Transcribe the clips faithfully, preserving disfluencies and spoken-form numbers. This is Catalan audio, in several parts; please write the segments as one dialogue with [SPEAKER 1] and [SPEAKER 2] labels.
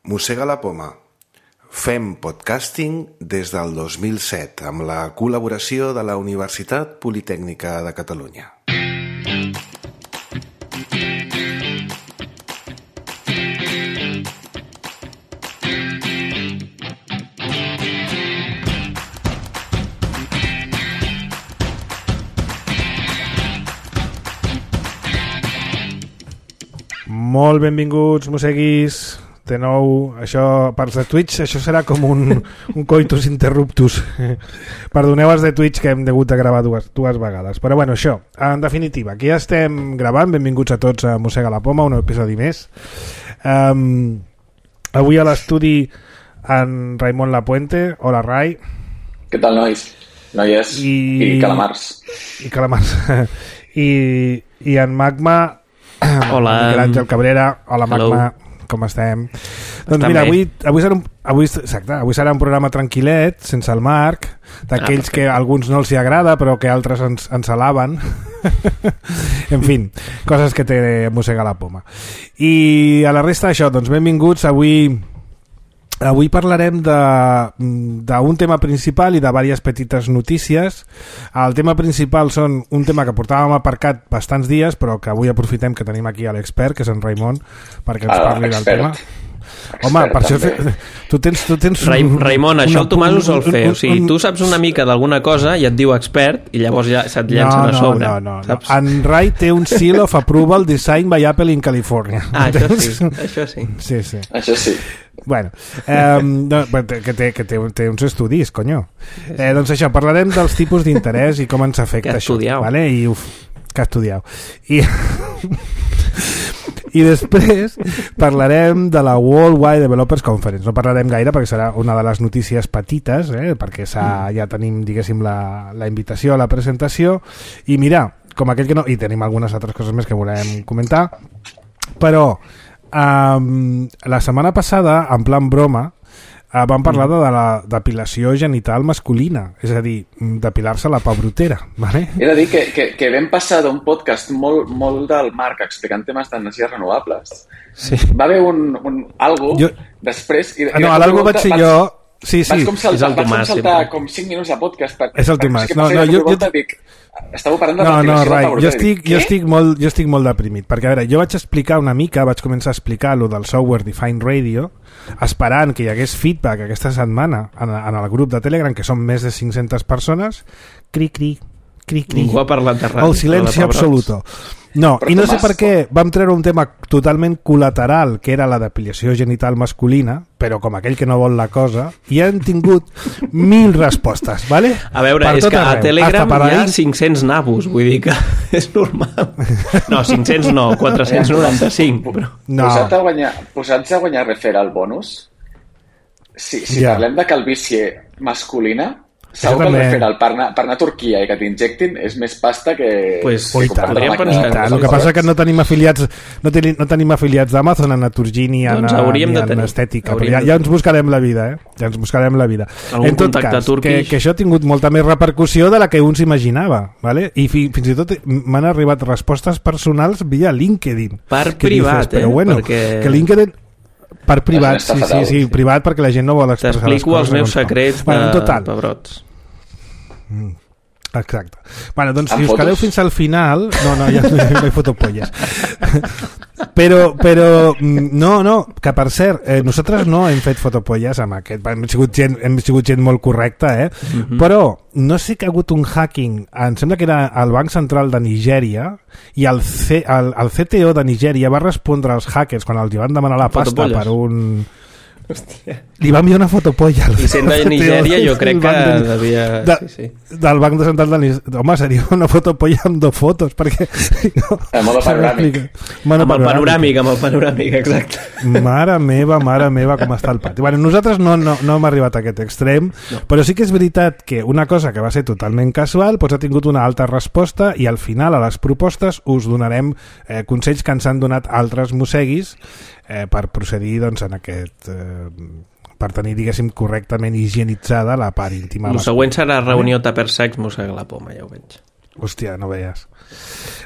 [SPEAKER 1] Mossega la poma. Fem podcasting des del dos mil set amb la col·laboració de la Universitat Politècnica de Catalunya.
[SPEAKER 2] Molt benvinguts, mosseguis. De nou, això, parts de Twitch, això serà com un, un coitus interruptus. Perdoneu els de Twitch que hem hagut de gravar dues, dues vegades. Però bueno, això, en definitiva, aquí ja estem gravant. Benvinguts a tots a Mossega la Poma, un episodi més. Um, avui a l'estudi en Raimon Lapuente. Hola, Rai.
[SPEAKER 3] Què tal, nois? Noies i, i calamars.
[SPEAKER 2] I calamars. I, i en Magma...
[SPEAKER 4] Hola.
[SPEAKER 2] Miquel Àngel Cabrera. Hola, Magma. Hello. Com estem? Doncs
[SPEAKER 4] Està
[SPEAKER 2] mira,
[SPEAKER 4] bé.
[SPEAKER 2] avui, avui, serà un, avui, exacte, avui serà un programa tranquil·let, sense el Marc, d'aquells ah, que a alguns no els hi agrada, però que altres ens, ens alaben. En fi, coses que té Mossega la Poma. I a la resta d'això, doncs benvinguts. Avui... Avui parlarem d'un tema principal i de diverses petites notícies. El tema principal són un tema que portàvem aparcat bastants dies, però que avui aprofitem que tenim aquí l'expert, que és en Raimon, perquè ens parli del tema.
[SPEAKER 3] Expert,
[SPEAKER 2] home, per això fe... tu tens, tu tens
[SPEAKER 4] Rai,
[SPEAKER 2] un,
[SPEAKER 4] Raimon,
[SPEAKER 2] una,
[SPEAKER 4] això el Tomàs ho sol fer.
[SPEAKER 2] un, un,
[SPEAKER 4] o sigui, tu saps una mica d'alguna cosa i et diu expert i llavors ja se't llancen
[SPEAKER 2] no,
[SPEAKER 4] a sobre.
[SPEAKER 2] No, no, no.
[SPEAKER 4] Saps?
[SPEAKER 2] En Rai té un seal of approval design by Apple in California.
[SPEAKER 4] Ah, això sí, això sí.
[SPEAKER 2] Sí, sí.
[SPEAKER 3] Això sí.
[SPEAKER 2] Bueno, eh, no, que, té, que té, té uns estudis, conyo. Eh, doncs això, parlarem dels tipus d'interès i com ens afecta això. Vale? I, uf, que estudiau. I, I després parlarem de la Worldwide Developers Conference. No parlarem gaire perquè serà una de les notícies petites, eh, perquè ja tenim, diguéssim, la, la invitació a la presentació. I mira, com aquell que no... I tenim algunes altres coses més que volem comentar, però... Um, la setmana passada, en plan broma, uh, vam parlar de la depilació genital masculina, és a dir, depilar-se la pabrotera, ¿vale?
[SPEAKER 3] He de dir que, que, que vam passar d'un podcast molt, molt del Marc explicant temes d'energies renovables.
[SPEAKER 2] Sí.
[SPEAKER 3] Va haver un, un algo jo... després... I,
[SPEAKER 2] ah, no, l'algo vaig ser jo... Sí, sí.
[SPEAKER 3] Vaig com saltar,
[SPEAKER 4] és el Tomàs,
[SPEAKER 3] vaig com, saltar com cinc minuts de podcast. Per,
[SPEAKER 2] és el Tomàs.
[SPEAKER 3] Per,
[SPEAKER 2] no, no, jo, jo...
[SPEAKER 3] Dic, estàveu parlant de
[SPEAKER 2] no, no, Rai, jo estic,
[SPEAKER 3] dic,
[SPEAKER 2] jo, estic molt, jo estic molt deprimit, perquè a veure, jo vaig explicar una mica, vaig començar a explicar lo del Software Defined Radio, esperant que hi hagués feedback aquesta setmana en, en el grup de Telegram, que són més de cinc-centes persones, cri, cri, cri, cri.
[SPEAKER 4] Ningú ha parlat de ràdio.
[SPEAKER 2] El silenci absoluto. No, però i no sé per què vam treure un tema totalment col·lateral, que era la depilació genital masculina, però com aquell que no vol la cosa, i han tingut mil respostes, ¿vale?
[SPEAKER 4] A veure,
[SPEAKER 2] per
[SPEAKER 4] és que
[SPEAKER 2] arreu.
[SPEAKER 4] a Telegram hi ha
[SPEAKER 2] ahí...
[SPEAKER 4] cinc-cents nabos, vull dir que és normal. No, cinc-cents no, quatre-cents noranta-cinc. Però...
[SPEAKER 3] No. Posats a guanyar, posats a guanyar referral bonus, si, si ja. Parlem de calvície masculina, segur que el referral per anar, per anar a Turquia i que t'injectin és més pasta que...
[SPEAKER 4] Pues,
[SPEAKER 2] que tant, el que passa que no tenim afiliats no tenim, no tenim afiliats d'Amazon en Naturgy ni en,
[SPEAKER 4] doncs
[SPEAKER 2] ni en estètica, però ja, ja ens buscarem la vida, eh? Ja ens buscarem la vida.
[SPEAKER 4] Algun
[SPEAKER 2] en tot cas, que, que això ha tingut molta més repercussió de la que un s'imaginava, ¿vale? I fi, fins i tot m'han arribat respostes personals via LinkedIn.
[SPEAKER 4] Per privat,
[SPEAKER 2] dices, però
[SPEAKER 4] eh?
[SPEAKER 2] bueno,
[SPEAKER 4] Perquè...
[SPEAKER 2] que LinkedIn... Per privat, sí, sí, sí, sí, privat perquè la gent no vol expressar les coses.
[SPEAKER 4] T'explico els meus secrets
[SPEAKER 2] bueno,
[SPEAKER 4] de
[SPEAKER 2] total.
[SPEAKER 4] pebrots.
[SPEAKER 2] Mm. Exacte. Bueno, doncs si us quedeu fins al final... No, no, ja no hi foto polles. Però, però, no, no, que per cert, eh, nosaltres no hem fet fotopolles amb aquest, hem sigut gent, hem sigut gent molt correcta, eh? Uh-huh. Però no sé que ha hagut un hacking, em sembla que era el Banc Central de Nigèria, i el, C, el, el C T O de Nigèria va respondre als hackers quan els van demanar la pasta per un...
[SPEAKER 4] Hòstia.
[SPEAKER 2] Li va enviar una fotopolla
[SPEAKER 4] i sent de Nigèria jo crec que de, devia
[SPEAKER 2] de,
[SPEAKER 4] sí, sí.
[SPEAKER 2] del Banc de Central de Nigèria. Home, seria una fotopolla amb dos fotos perquè no,
[SPEAKER 3] amb el panoràmic
[SPEAKER 4] amb el panoràmic amb el panoràmic, exacte.
[SPEAKER 2] Mare meva, mare meva com està el pati. Bueno, nosaltres no, no, no hem arribat a aquest extrem, no. Però sí que és veritat que una cosa que va ser totalment casual doncs ha tingut una alta resposta i al final a les propostes us donarem eh, consells que ens han donat altres mosseguis eh, per procedir doncs, en aquest... Eh, per tenir, diguéssim, correctament higienitzada la part íntima.
[SPEAKER 4] El següent serà reunió tupper sex Mossega la Poma, ja ho veig.
[SPEAKER 2] Hòstia, no veies.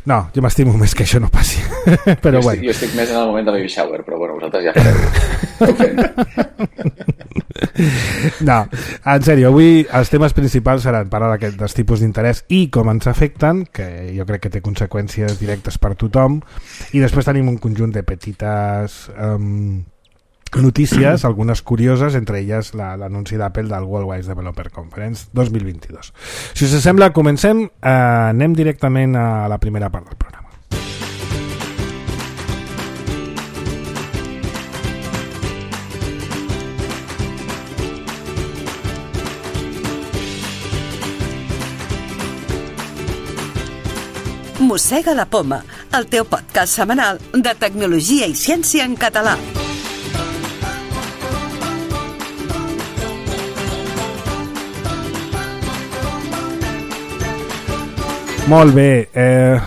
[SPEAKER 2] No, jo m'estimo més que això no passi. Però
[SPEAKER 3] jo,
[SPEAKER 2] bueno.
[SPEAKER 3] estic, jo estic més en el moment de baby shower, però bueno, vosaltres ja fareu.
[SPEAKER 2] No, en sèrio, avui els temes principals seran parlar d'aquest, dels tipus d'interès i com ens afecten, que jo crec que té conseqüències directes per tothom, i després tenim un conjunt de petites um, notícies, algunes curioses, entre elles la, l'anunci d'Apple del Worldwide Developer Conference dos mil vint-i-dos. Si us sembla, comencem, eh, anem directament a la primera part del programa.
[SPEAKER 5] Mossega la Poma, el teu podcast setmanal de tecnologia i ciència en català.
[SPEAKER 2] Molt bé. Eh,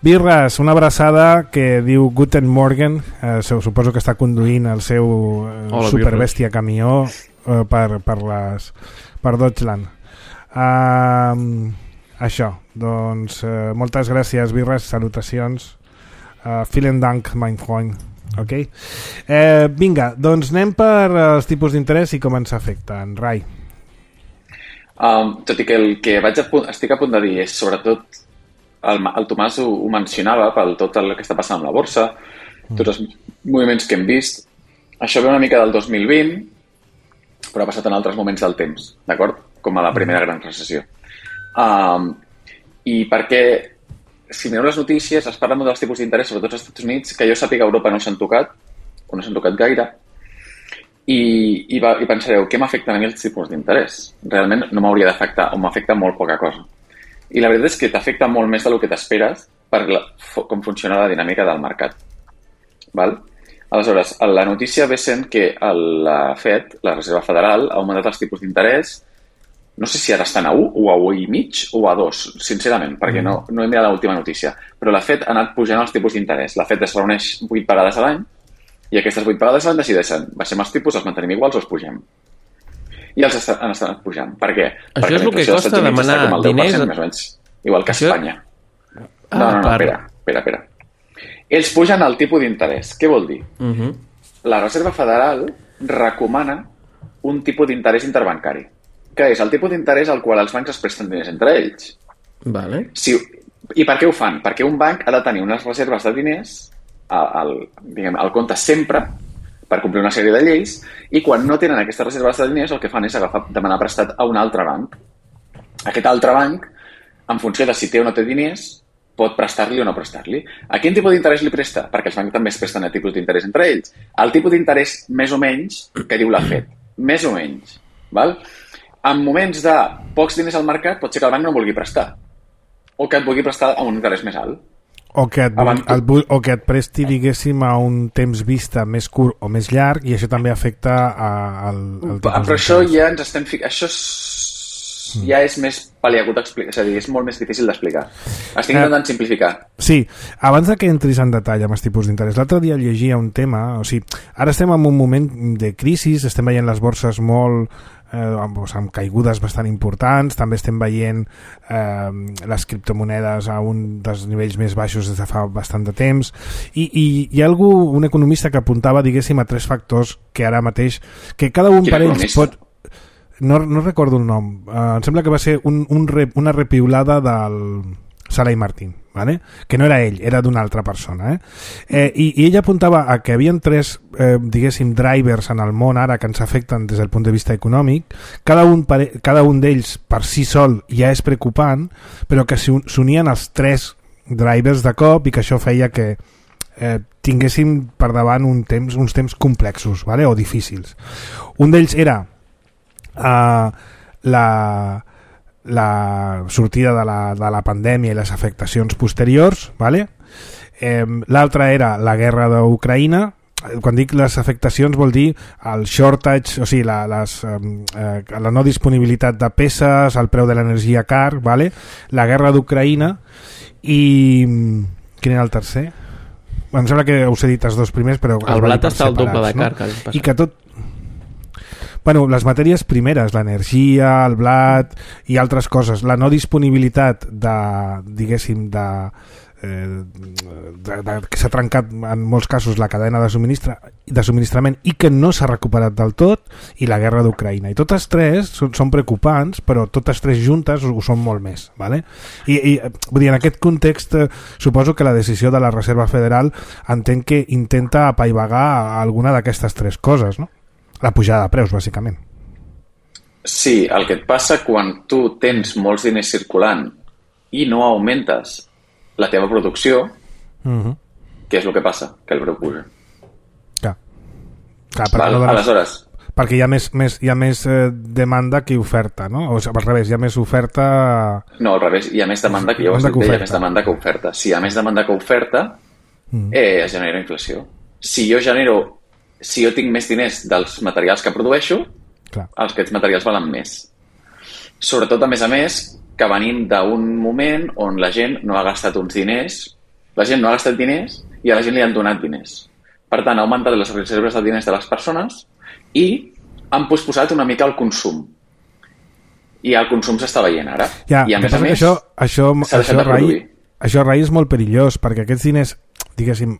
[SPEAKER 2] Birras, una abraçada que diu Guten Morgen. Eh, suposo que està conduint el seu eh, superbèstia camió eh, per, per, les, per Deutschland. Uh, això, doncs eh, moltes gràcies, Birras, salutacions. Uh, vielen Dank, mein Freund. Okay. Eh, vinga, doncs anem per els tipus d'interès i com ens afecten. Rai.
[SPEAKER 3] Um, tot i que el que vaig a punt, estic a punt de dir és sobretot el, el Tomàs ho, ho mencionava pel tot el que està passant amb la borsa, mm. tots els moviments que hem vist. Això ve una mica del dos mil vint, però ha passat en altres moments del temps, d'acord? Com a la primera gran recessió. Um, I perquè, si mireu les notícies, es parla molt dels tipus d'interès, sobretot als Estats Units, que jo sàpiga a Europa no s'han tocat, o no s'han tocat gaire. I, i, va, i pensareu, què m'afecten a mi els tipus d'interès? Realment no m'hauria d'afectar o m'afecta molt poca cosa. I la veritat és que t'afecta molt més del que t'esperes per la, com funciona la dinàmica del mercat. Val? Aleshores, la notícia ve sent que la Fed, la Reserva Federal, ha augmentat els tipus d'interès, no sé si ara estan a u o a u i mig o a dos, sincerament, perquè no, no he mirat l'última notícia, però la Fed ha anat pujant els tipus d'interès. La Fed es reuneix vuit vegades a l'any i aquestes vuit vegades l'any decideixen, baixem els tipus, els mantenim iguals o els pugem. I els est han estat pujant. Per què?
[SPEAKER 4] Això
[SPEAKER 3] Perquè
[SPEAKER 4] és el que costa demanar diners...
[SPEAKER 3] Més o menys, igual que
[SPEAKER 4] Això...
[SPEAKER 3] Espanya.
[SPEAKER 4] Ah,
[SPEAKER 3] no, no, no,
[SPEAKER 4] per...
[SPEAKER 3] espera, espera, espera. Ells pugen el tipus d'interès. Què vol dir?
[SPEAKER 4] Uh -huh.
[SPEAKER 3] La Reserva Federal recomana un tipus d'interès interbancari, que és el tipus d'interès al qual els bancs es presten diners entre ells.
[SPEAKER 4] Vale.
[SPEAKER 3] Si... I per què ho fan? Perquè un banc ha de tenir unes reserves de diners al, diguem, al compte sempre per complir una sèrie de lleis, i quan no tenen aquestes reserves de diners el que fan és agafar, demanar prestat a un altre banc. Aquest altre banc, en funció de si té o no té diners, pot prestar-li o no prestar-li. A quin tipus d'interès li presta? Perquè els bancs també es presten a tipus d'interès entre ells. El tipus d'interès més o menys que diu la Fed. Més o menys. Val? En moments de pocs diners al mercat pot ser que el banc no vulgui prestar o que et vulgui prestar a un interès més alt.
[SPEAKER 2] O que, et, el, o que et presti, diguéssim, a un temps vista més curt o més llarg, i això també afecta a, al, al tipus
[SPEAKER 3] Però això ja ens estem ficant... Això és, mm. ja és més paliagut d'explicar, és a dir, és molt més difícil d'explicar. Estic intentant eh, simplificar.
[SPEAKER 2] Sí, abans de que entris en detall amb els tipus d'interès, l'altre dia llegia un tema, o sigui, ara estem en un moment de crisi, estem veient les borses molt... Eh, amb, amb caigudes bastant importants, també estem veient eh, les criptomonedes a un dels nivells més baixos des de fa bastant de temps, i, i hi ha algú, un economista que apuntava, diguéssim, a tres factors que ara mateix, que cada un per ells pot... No, no recordo el nom, eh, em sembla que va ser un, un rep, una repiulada del Sala i Martín, ¿vale? Que no era ell, era d'una altra persona, eh? Eh, i, i ell apuntava a que havien tres, eh, diguéssim, drivers en el món ara que ens afecten des del punt de vista econòmic. Cada un, cada un d'ells per si sol ja és preocupant, però que s'unien els tres drivers de cop i que això feia que eh, tinguéssim per davant un temps, uns temps complexos, ¿vale? O difícils. Un d'ells era eh, la... la sortida de la, de la pandèmia i les afectacions posteriors, ¿vale? Eh, l'altra era la guerra d'Ucraïna. Quan dic les afectacions vol dir el shortage, o sigui, la, les, eh, la no disponibilitat de peces, el preu de l'energia car, ¿vale? La guerra d'Ucraïna i... Quin era el tercer? Em sembla que us he dit els dos primers, però...
[SPEAKER 4] El blat està al doble de car,
[SPEAKER 2] no? I que tot... Bueno, les matèries primeres, l'energia, el blat i altres coses, la no disponibilitat de, diguéssim, de, eh, de, de, que s'ha trencat en molts casos la cadena de, subministra, de subministrament i que no s'ha recuperat del tot, i la guerra d'Ucraïna. I totes tres són, són preocupants, però totes tres juntes ho són molt més. ¿Vale? I, i vull dir, en aquest context eh, suposo que la decisió de la Reserva Federal entenc que intenta apaivagar alguna d'aquestes tres coses, no? La pujada de preus, bàsicament.
[SPEAKER 3] Sí, el que et passa quan tu tens molts diners circulant i no augmentes la teva producció, uh-huh. què és el que passa? Que el preu puja.
[SPEAKER 2] Clar. Clar, perquè
[SPEAKER 3] Val,
[SPEAKER 2] no dones...
[SPEAKER 3] Aleshores...
[SPEAKER 2] Perquè hi ha més, més, hi ha més eh, demanda que oferta, no? O sigui, al revés, hi ha més oferta...
[SPEAKER 3] No, al revés, hi ha més demanda que, jo ho estic bé, hi ha més demanda que oferta. Si hi ha més demanda que oferta, mm. eh, es genera inflació. Si jo genero... Si jo tinc més diners dels materials que produeixo, clar, els aquests materials valen més. Sobretot, a més a més, que venim d'un moment on la gent no ha gastat uns diners, la gent no ha gastat diners i a la gent li han donat diners. Per tant, ha augmentat les reserves de diners de les persones i han posposat una mica el consum. I el consum s'està veient ara.
[SPEAKER 2] Ja,
[SPEAKER 3] I a més a més,
[SPEAKER 2] això, això,
[SPEAKER 3] s'ha deixat
[SPEAKER 2] això,
[SPEAKER 3] de produir.
[SPEAKER 2] Rai, això, Rai, és molt perillós, perquè aquests diners, diguéssim,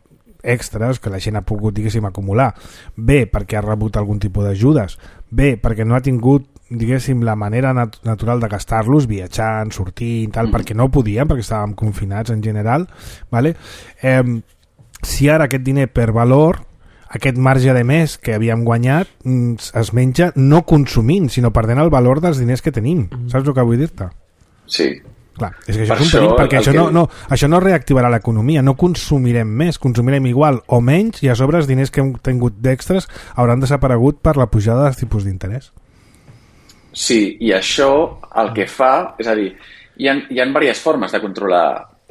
[SPEAKER 2] extras que la gent ha pogut, diguéssim, acumular, bé perquè ha rebut algun tipus d'ajudes, bé perquè no ha tingut, diguéssim, la manera nat natural de gastar-los, viatjant, sortint, tal, mm. perquè no podien, perquè estàvem confinats en general, ¿vale? Eh, si ara aquest diner per valor, aquest marge de més que havíem guanyat, es menja no consumint, sinó perdent el valor dels diners que tenim. Mm. Saps el que vull dir-te?
[SPEAKER 3] Sí.
[SPEAKER 2] Clar, és que això per és un perill, perquè això, que... no, no, això no reactivarà l'economia, no consumirem més, consumirem igual o menys, i a sobre els diners que hem tingut d'extres hauran desaparegut per la pujada dels tipus d'interès.
[SPEAKER 3] Sí, i això el que fa, és a dir, hi ha, hi ha diverses formes de controlar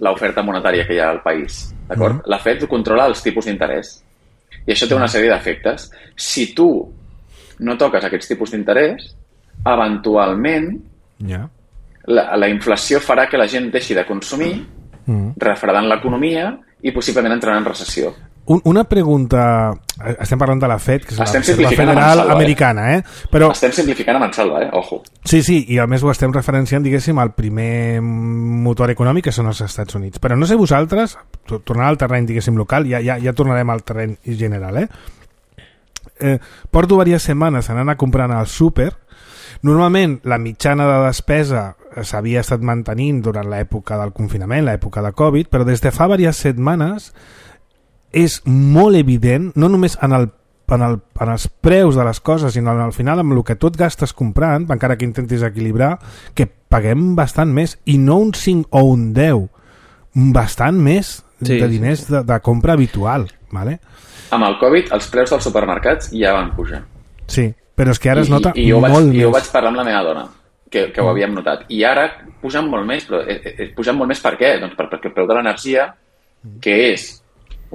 [SPEAKER 3] l'oferta monetària que hi ha al país, d'acord? Mm. La Fed controla els tipus d'interès, i això té una sèrie d'efectes. Si tu no toques aquests tipus d'interès, eventualment... Yeah. La, la inflació farà que la gent deixi de consumir, mm. refredant l'economia i possiblement entrarà en recessió.
[SPEAKER 2] Un, una pregunta... Estem parlant de la Fed, que és
[SPEAKER 3] estem
[SPEAKER 2] la Reserva Federal Mansalva, americana, eh? Però...
[SPEAKER 3] Estem simplificant a Mansalva, eh? Ojo.
[SPEAKER 2] Sí, sí, i a més ho estem referenciant, diguéssim, al primer motor econòmic, que són els Estats Units. Però no sé vosaltres, tornant al terreny, diguéssim, local, ja, ja, ja tornarem al terreny general, eh? eh porto diverses setmanes anant a comprar al súper. Normalment la mitjana de despesa s'havia estat mantenint durant l'època del confinament, l'època de Covid, però des de fa diverses setmanes és molt evident, no només en, el, en, el, en els preus de les coses, sinó al final amb el que tu et gastes comprant, encara que intentis equilibrar, que paguem bastant més, i no un cinc o un deu, bastant més sí, de diners sí, sí. De, de compra habitual. ¿Vale?
[SPEAKER 3] Amb el Covid els preus dels supermercats ja van pujar.
[SPEAKER 2] Sí, però és que ara es nota
[SPEAKER 3] I, i, i jo
[SPEAKER 2] molt
[SPEAKER 3] vaig,
[SPEAKER 2] més.
[SPEAKER 3] I jo vaig parlar amb la meva dona, que, que ho havíem notat. I ara pugen molt més, però eh, eh, pugen molt més per què? Doncs per, perquè el preu de l'energia, que és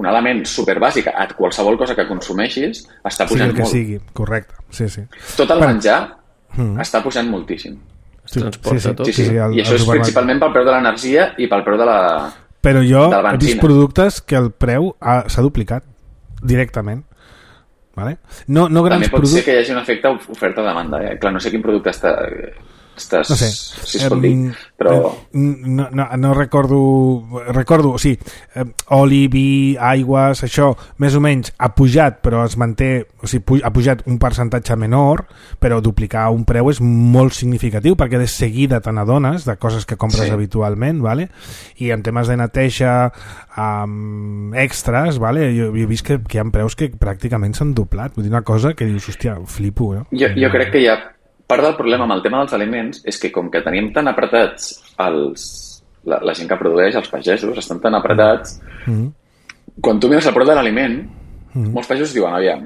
[SPEAKER 3] un element superbàsic a qualsevol cosa que consumeixis, està pujant
[SPEAKER 2] sí, que
[SPEAKER 3] molt.
[SPEAKER 2] Sigui, correcte. Sí, sí.
[SPEAKER 3] Tot el
[SPEAKER 2] per...
[SPEAKER 3] menjar
[SPEAKER 2] mm.
[SPEAKER 3] està pujant moltíssim.
[SPEAKER 4] Es transporta
[SPEAKER 2] sí, sí,
[SPEAKER 4] tot.
[SPEAKER 3] Sí, sí.
[SPEAKER 2] Sí, sí, el,
[SPEAKER 3] I això és principalment pel preu de l'energia i pel preu de la
[SPEAKER 2] Però jo
[SPEAKER 3] de la
[SPEAKER 2] he vist productes que el preu s'ha duplicat directament. Vale? No, no grans
[SPEAKER 3] També pot
[SPEAKER 2] produc...
[SPEAKER 3] ser que hi hagi un efecte oferta-demanda. Eh? Clar, no sé quin producte està... Estàs,
[SPEAKER 2] no sé,
[SPEAKER 3] si es pot dir, però...
[SPEAKER 2] No, no, no recordo... Recordo, sí, eh, oli, vi, aigües, això, més o menys ha pujat, però es manté... O sigui, ha pujat un percentatge menor, però duplicar un preu és molt significatiu, perquè de seguida te n'adones de coses que compres sí. habitualment, ¿vale? I en temes de neteja um, extras, ¿vale? Jo, jo he vist que, que hi ha preus que pràcticament s'han doblat. Vull dir una cosa que dius, hòstia, flipo, no?
[SPEAKER 3] Jo, jo crec que hi ha... Part del problema amb el tema dels aliments és que com que tenim tan apretats els, la, la gent que produeix, els pagesos, estan tan apretats, mm-hmm. quan tu mires el preu de l'aliment, mm-hmm. molts pagesos diuen, aviam,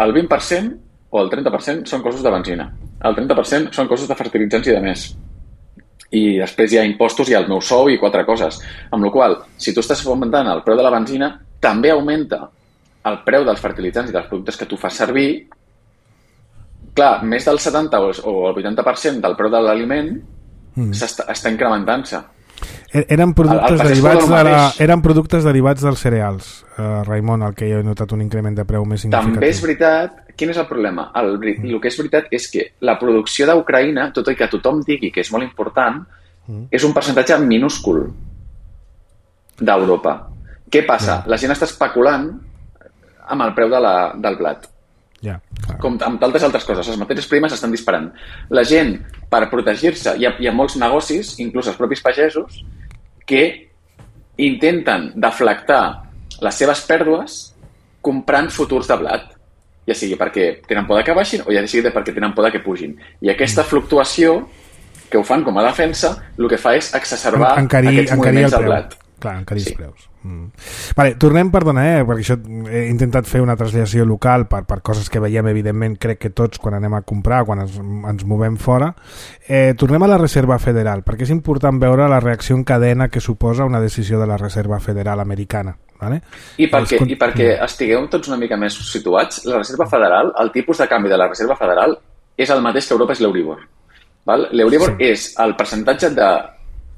[SPEAKER 3] el vint per cent o el trenta per cent són costos de benzina, el trenta per cent són costos de fertilitzants i de més. I després hi ha impostos i el meu sou i quatre coses. Amb la qual cosa, si tu estàs augmentant el preu de la benzina, també augmenta el preu dels fertilitzants i dels productes que tu fas servir. Clar, més del setanta o el vuitanta per cent del preu de l'aliment mm. està, està incrementant-se.
[SPEAKER 2] Eren productes, el, el derivats de la, eren productes derivats dels cereals, uh, Raimon, el que jo he notat un increment de preu més significatiu.
[SPEAKER 3] També és veritat, quin és el problema? El, el que és veritat és que la producció d'Ucraïna, tot i que tothom digui que és molt important, mm. és un percentatge minúscul. d'Europa. Què passa? La gent està especulant amb el preu de la, del blat.
[SPEAKER 2] Ja,
[SPEAKER 3] com amb tantes altres coses, les matèries primes estan disparant. La gent, per protegir-se, hi ha, hi ha molts negocis, inclús els propis pagesos, que intenten deflactar les seves pèrdues comprant futurs de blat, ja sigui perquè tenen por que baixin o ja sigui perquè tenen por que pugin. I aquesta fluctuació, que ho fan com a defensa, el que fa és exacerbar
[SPEAKER 2] encarir,
[SPEAKER 3] aquests moviments del blat.
[SPEAKER 2] Clar, encarir els sí. preus. Mm. Vale, tornem, perdona, eh, perquè això he intentat fer una traslació local per, per coses que veiem, evidentment, crec que tots quan anem a comprar, quan ens, ens movem fora. Eh, tornem a la Reserva Federal, perquè és important veure la reacció en cadena que suposa una decisió de la Reserva Federal americana. Vale?
[SPEAKER 3] I perquè, i perquè estigueu tots una mica més situats, la Reserva Federal, el tipus de canvi de la Reserva Federal és el mateix que Europa és l'Euribor. L'Euribor sí. és el percentatge de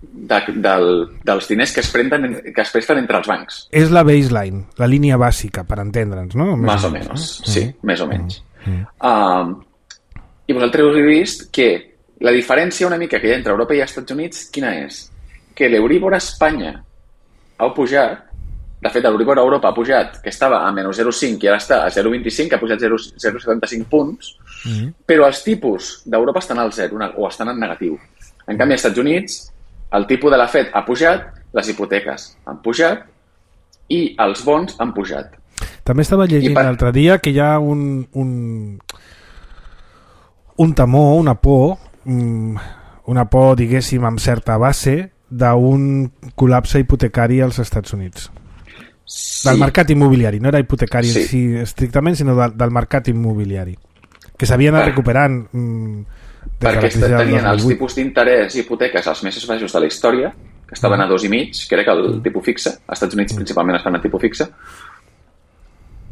[SPEAKER 3] De, del, dels diners que es, prenen, que es presten entre els bancs.
[SPEAKER 2] És la baseline, la línia bàsica, per entendre'ns, no?
[SPEAKER 3] Més, més o menys, no? sí, mm. més o menys. Mm. Uh, I vosaltres us heu vist que la diferència una mica que hi ha entre Europa i Estats Units, quina és? Que l'Euribor a Espanya ha pujat, de fet l'Euribor a Europa ha pujat, que estava a menys zero coma cinc i ara està a zero coma vint-i-cinc, ha pujat zero coma setanta cinc punts, mm. però els tipus d'Europa estan al zero o estan en negatiu. En canvi, als Estats Units el tipus de la Fed ha pujat, les hipoteques han pujat i els bons han pujat.
[SPEAKER 2] També estava llegint per... l'altre dia que hi ha un, un, un temor, una por, una por, diguéssim, amb certa base d'un col·lapse hipotecari als Estats Units. Sí. Del mercat immobiliari, no era hipotecari sí. sí, estrictament, sinó del, del mercat immobiliari. Que s'havia anat per... recuperant... Mm,
[SPEAKER 3] perquè tenien els tipus d'interès i hipoteques els més baixos de la història, que estaven mm. a dos i mig, que era que el mm. tipus fixe, als Estats Units mm. principalment estan a tipus fixe,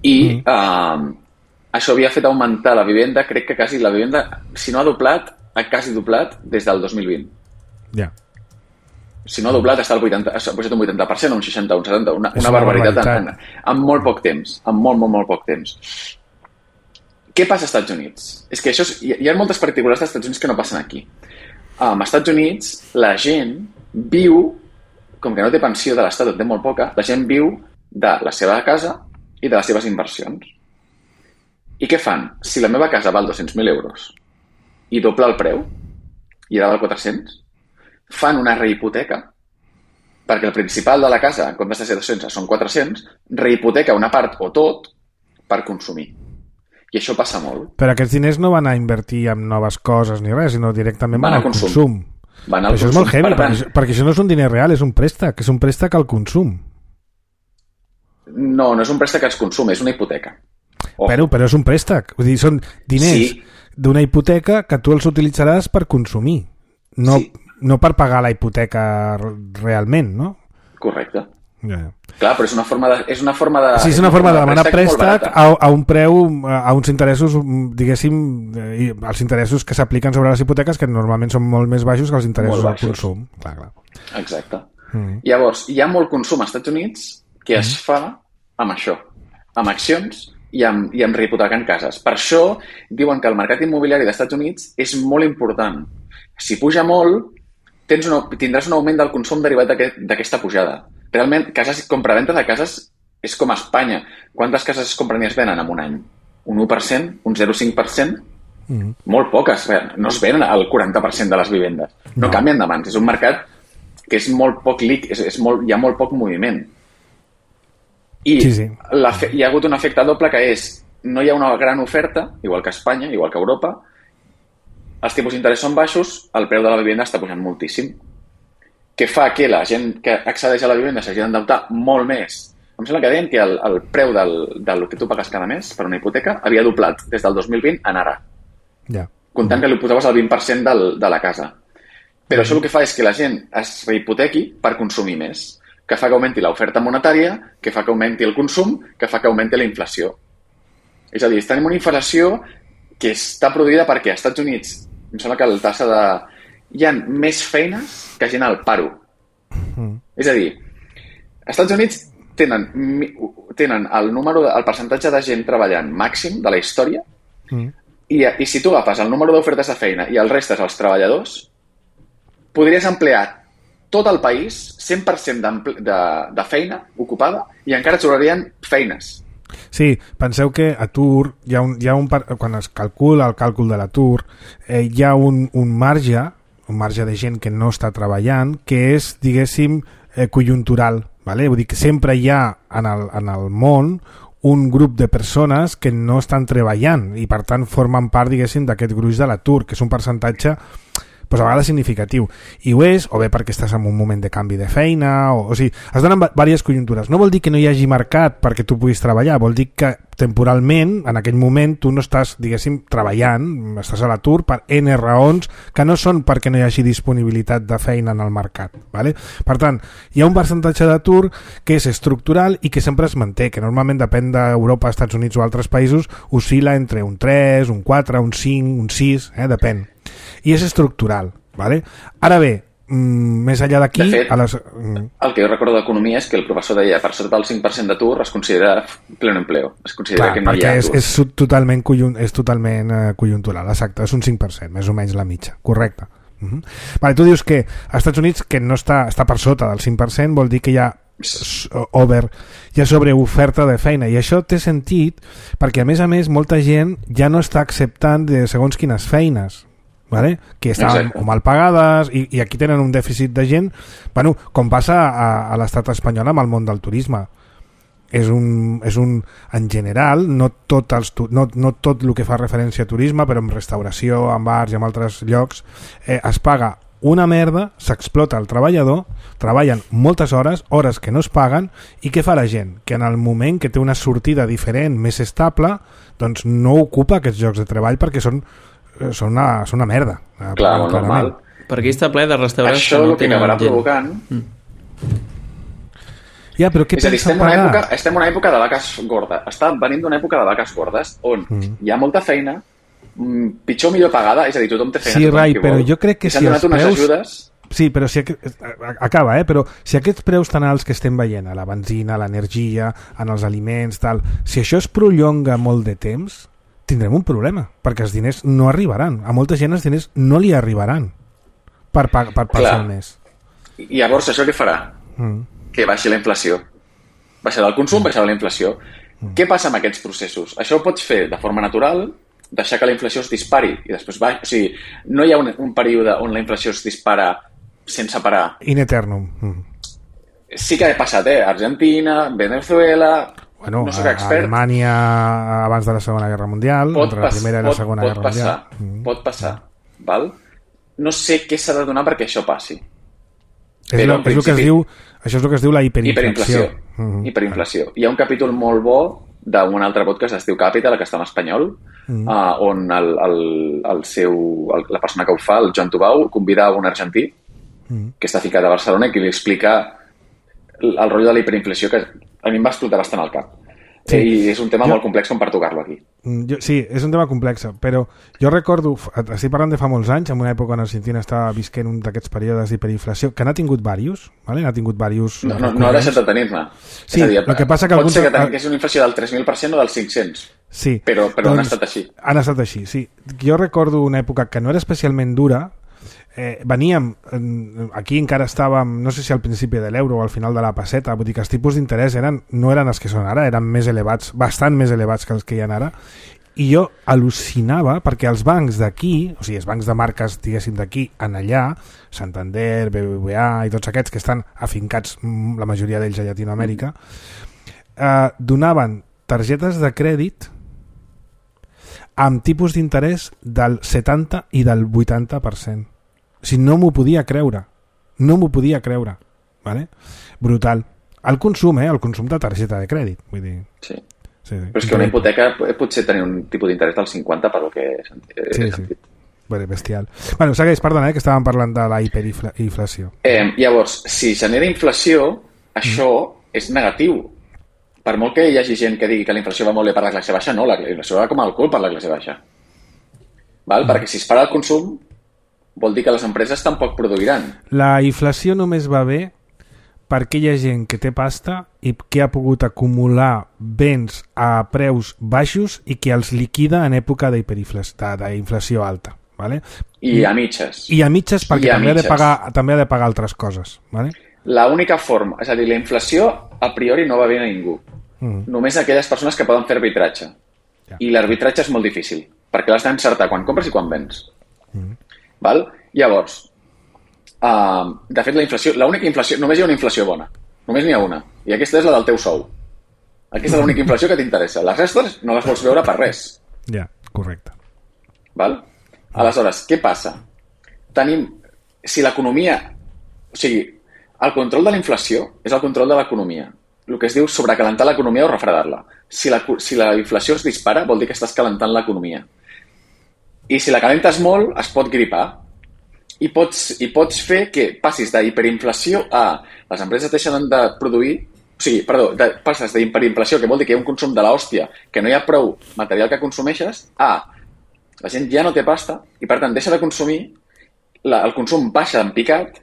[SPEAKER 3] i mm. uh, això havia fet augmentar la vivenda, crec que quasi la vivenda, si no ha doblat, ha quasi doblat des del dos mil vint.
[SPEAKER 2] Ja. Yeah.
[SPEAKER 3] Si no ha doblat, està al vuitanta, ha pujat un vuitanta per cent, un seixanta, un setanta, una, una barbaritat, barbaritat. En, en, en molt poc temps, en molt, molt, molt poc temps. Què passa als Estats Units? És que això és, hi ha moltes particulars dels Estats Units que no passen aquí. Um, als Estats Units la gent viu, com que no té pensió de l'Estat, té molt poca, la gent viu de la seva casa i de les seves inversions. I què fan? Si la meva casa val dos-cents mil euros i dobla el preu, i ara val quatre-cents, fan una rehipoteca, perquè el principal de la casa, en comptes de ser dos-cents, són quatre-cents, rehipoteca una part o tot per consumir. I això passa molt.
[SPEAKER 2] Però aquests diners no van a invertir en noves coses ni res, sinó directament van, van al consum. consum.
[SPEAKER 3] Van al
[SPEAKER 2] això consum. És molt heavy, per perquè, perquè això no és un diner real, és un préstec, és un préstec al consum.
[SPEAKER 3] No, no és un préstec al consum, és una hipoteca.
[SPEAKER 2] Oh. Però, però és un préstec, vull dir, són diners sí. d'una hipoteca que tu els utilitzaràs per consumir, no, sí. no per pagar la hipoteca realment, no?
[SPEAKER 3] Correcte.
[SPEAKER 2] Yeah.
[SPEAKER 3] Clar, però és una forma de... És una forma de,
[SPEAKER 2] sí, és una forma de demanar préstec a, a un preu, a uns interessos, diguéssim, els interessos que s'apliquen sobre les hipoteques, que normalment són molt més baixos que els interessos al consum. Clar, clar.
[SPEAKER 3] Exacte. Mm. Llavors, hi ha molt consum als Estats Units que mm. es fa amb això, amb accions i amb, i amb rehipotecant cases. Per això diuen que el mercat immobiliari dels Estats Units és molt important. Si puja molt, tens una, tindràs un augment del consum derivat d'aquesta pujada. Realment, cases, compraventa de cases és com a Espanya. Quantes cases es compren i es venen en un any? Un u per cent? Un zero coma cinc per cent? Mm. Molt poques. No es venen el quaranta per cent de les vivendes. No, no canvien de mans. És un mercat que és molt poc líquid, és, és molt, hi ha molt poc moviment. I sí, sí. La, hi ha hagut un efecte doble que és no hi ha una gran oferta, igual que a Espanya, igual que a Europa, els tipus d'interès són baixos, el preu de la vivenda està pujant moltíssim, que fa que la gent que accedeix a la vivenda s'hagi d'endeutar molt més. Em sembla que deien que el, el preu del, del que tu pagues cada mes per una hipoteca havia doblat des del dos mil vint a ara.
[SPEAKER 2] Ja.
[SPEAKER 3] Comptant que li posaves el vint per cent del, de la casa. Però això el que fa és que la gent es rehipotequi per consumir més, que fa que augmenti l'oferta monetària, que fa que augmenti el consum, que fa que augmenti la inflació. És a dir, tenim una inflació que està produïda perquè als Estats Units, em sembla que la tassa de... hi ha més feines que gent al paro. Mm. És a dir, als Estats Units tenen, tenen el, número de, el percentatge de gent treballant màxim de la història mm. i, i si tu agafes el número d'ofertes de feina i el restes als treballadors, podries emplear tot el país, cent per cent de, de feina ocupada i encara trobarien feines.
[SPEAKER 2] Sí, penseu que atur, hi ha un, hi ha un, quan es calcula el càlcul de l'atur, eh, hi ha un, un marge, un marge de gent que no està treballant, que és, diguéssim, eh, conjuntural. Vale? Vull dir que sempre hi ha en el, en el món un grup de persones que no estan treballant i per tant formen part, diguéssim, d'aquest gruix de l'atur, que és un percentatge pues, a vegades significatiu. I ho és, o bé perquè estàs en un moment de canvi de feina, o, o sigui, es donen diverses conjuntures. No vol dir que no hi hagi mercat perquè tu puguis treballar, vol dir que temporalment, en aquell moment, tu no estàs, diguéssim, treballant, estàs a l'atur per N raons que no són perquè no hi hagi disponibilitat de feina en el mercat. Vale? Per tant, hi ha un percentatge d'atur que és estructural i que sempre es manté, que normalment depèn d'Europa, Estats Units o altres països, oscil·la entre un tres, un quatre, un cinc, un sis, eh? Depèn. I és estructural. Vale? Ara bé, mm, més enllà d'aquí...
[SPEAKER 3] De fet,
[SPEAKER 2] a les...
[SPEAKER 3] el que jo recordo d'economia és que el professor deia per sota del cinc per cent d'atur es considera pleno empleo. Es considera
[SPEAKER 2] Clar,
[SPEAKER 3] que no hi ha
[SPEAKER 2] és,
[SPEAKER 3] atur.
[SPEAKER 2] és totalment, conjunt, és totalment uh, conjuntural, exacte, és un cinc per cent, més o menys la mitja, correcte. Uh-huh. Vale, tu dius que als Estats Units, que no està, està per sota del cinc per cent, vol dir que hi ha over, hi ha sobreoferta de feina, i això té sentit perquè a més a més molta gent ja no està acceptant de segons quines feines, vale? Que estan o mal pagades i, i aquí tenen un dèficit de gent, bueno, com passa a, a l'estat espanyol amb el món del turisme. És un, és un, en general, no tot, els, no, no tot el que fa referència a turisme, però en restauració, en bars i en altres llocs, eh, es paga una merda, s'explota el treballador, treballen moltes hores, hores que no es paguen, i què fa la gent? Que en el moment que té una sortida diferent, més estable, doncs no ocupa aquests llocs de treball perquè són, són, una, són una merda.
[SPEAKER 3] Clar, molt normal.
[SPEAKER 4] Perquè està ple de restaurants
[SPEAKER 3] això
[SPEAKER 4] que no
[SPEAKER 3] el que acabarà provocant...
[SPEAKER 4] Mm.
[SPEAKER 2] Ja, però què
[SPEAKER 3] és a dir,
[SPEAKER 2] pensa
[SPEAKER 3] estem en una
[SPEAKER 2] pagar?
[SPEAKER 3] època, estem en una època de vaques gordes. Està venint d'una època de vaques gordes on mm. hi ha molta feina, pitjor o millor pagada, és a dir, tothom té feina,
[SPEAKER 2] sí,
[SPEAKER 3] tothom
[SPEAKER 2] Rai,
[SPEAKER 3] qui
[SPEAKER 2] però
[SPEAKER 3] vol.
[SPEAKER 2] jo crec que
[SPEAKER 3] I s'han
[SPEAKER 2] si
[SPEAKER 3] donat
[SPEAKER 2] els
[SPEAKER 3] unes
[SPEAKER 2] preus...
[SPEAKER 3] ajudes...
[SPEAKER 2] Sí, però si aquest... acaba, eh? Però si aquests preus tan alts que estem veient, a la benzina, a l'energia, en els aliments, tal, si això es prolonga molt de temps, tindrem un problema, perquè els diners no arribaran. A molta gent els diners no li arribaran per, per, per passar el mes.
[SPEAKER 3] I llavors això què farà?
[SPEAKER 2] Mm.
[SPEAKER 3] Que baixi la inflació. Baixarà el consum, baixarà la inflació. Mm. Què passa amb aquests processos? Això ho pots fer de forma natural, deixar que la inflació es dispari i després baix... O sigui, no hi ha un, un període on la inflació es dispara sense parar.
[SPEAKER 2] In eternum. Mm.
[SPEAKER 3] Sí que ha passat, eh? Argentina, Venezuela...
[SPEAKER 2] Bueno,
[SPEAKER 3] no soc expert.
[SPEAKER 2] Alemanya abans de la Segona Guerra Mundial,
[SPEAKER 3] pot
[SPEAKER 2] entre la Primera i la
[SPEAKER 3] pot,
[SPEAKER 2] Segona
[SPEAKER 3] pot
[SPEAKER 2] Guerra
[SPEAKER 3] passar,
[SPEAKER 2] Mundial. Mm.
[SPEAKER 3] Pot passar, val? No sé què s'ha de donar perquè això passi.
[SPEAKER 2] És, Però, lo, és el que es diu, això és el que es diu la hiperinflació.
[SPEAKER 3] Hiperinflació. Mm-hmm. Hiperinflació. Hi ha un capítol molt bo d'un altre podcast que es diu Capital, que està en espanyol, mm. uh, on el, el, el seu, el, la persona que ho fa, el Joan Tubau, convida un argentí mm. que està ficat a Barcelona i que li explica el, el rotllo de la hiperinflació, que a mi em va explotar bastant al cap. Sí. I és un tema jo, molt complex com per tocar-lo aquí.
[SPEAKER 2] Jo, sí, és un tema complex, però jo recordo, estic parlant de fa molts anys, en una època on Argentina estava visquent un d'aquests períodes d'hiperinflació, que n'ha tingut diversos, ¿vale? N'ha tingut diversos...
[SPEAKER 3] No, no, no ha deixat de tenir-ne.
[SPEAKER 2] Sí, el que passa que...
[SPEAKER 3] Pot
[SPEAKER 2] alguns...
[SPEAKER 3] ser que tingués una inflació del tres mil per cent o del cinc-cents.
[SPEAKER 2] Sí.
[SPEAKER 3] Però, però
[SPEAKER 2] doncs,
[SPEAKER 3] han estat així.
[SPEAKER 2] Han estat així, sí. Jo recordo una època que no era especialment dura. Eh, veníem, aquí encara estàvem, no sé si al principi de l'euro o al final de la passeta, vull dir que els tipus d'interès eren, no eren els que són ara, eren més elevats, bastant més elevats que els que hi ha ara, i jo al·lucinava perquè els bancs d'aquí, o sigui, els bancs de marques, diguéssim, d'aquí en allà, Santander, B B V A i tots aquests que estan afincats, la majoria d'ells a Llatinoamèrica, eh, donaven targetes de crèdit amb tipus d'interès del setanta i del vuitanta per cent. O sigui, no m'ho podia creure. No m'ho podia creure. Vale? Brutal. El consum, eh? El consum de targeta de crèdit. Vull dir...
[SPEAKER 3] Sí. sí, sí. Però és que una hipoteca potser tenir un tipus d'interès del cinquanta per lo que he sentit.
[SPEAKER 2] Sí, sí. Bueno, bestial. Bueno, segueix, perdona, eh, que estàvem parlant de la hiperinflació.
[SPEAKER 3] Eh, llavors, si genera inflació, això mm. és negatiu. Per molt que hi hagi gent que digui que la inflació va molt bé per la classe baixa, no, la inflació va com el cul per la classe baixa. Val? Mm. Perquè si es para el consum, vol dir que les empreses tampoc produiran.
[SPEAKER 2] La inflació només va bé perquè hi ha gent que té pasta i que ha pogut acumular béns a preus baixos i que els liquida en època d'hiperinflació alta. Vale?
[SPEAKER 3] I a mitges.
[SPEAKER 2] I a mitges perquè
[SPEAKER 3] I a
[SPEAKER 2] també,
[SPEAKER 3] mitges.
[SPEAKER 2] Ha de pagar, també ha de pagar altres coses. Vale?
[SPEAKER 3] La única forma, és a dir, la inflació a priori no va bé a ningú. Mm. Només a aquelles persones que poden fer arbitratge.
[SPEAKER 2] Ja.
[SPEAKER 3] I l'arbitratge és molt difícil, perquè l'has d'encertar quan compres i quan vens.
[SPEAKER 2] Mm.
[SPEAKER 3] Val? Llavors, uh, de fet, la inflació, l'única inflació, només hi ha una inflació bona. Només n'hi ha una. I aquesta és la del teu sou. Aquesta és l'única inflació que t'interessa. Les restes no les vols veure per res.
[SPEAKER 2] Ja, correcte.
[SPEAKER 3] Val? Aleshores, què passa? Tenim, si l'economia... O sigui, el control de la inflació és el control de l'economia. El que es diu sobrecalentar l'economia o refredar-la. Si la, si la inflació es dispara, vol dir que estàs calentant l'economia. I si la calentes molt, es pot gripar. I pots, i pots fer que passis d'hiperinflació a les empreses deixen de produir, o sigui, perdó, de, passes d'hiperinflació, que vol dir que hi ha un consum de l'hòstia, que no hi ha prou material que consumeixes, a la gent ja no té pasta i, per tant, deixa de consumir, la, el consum baixa en picat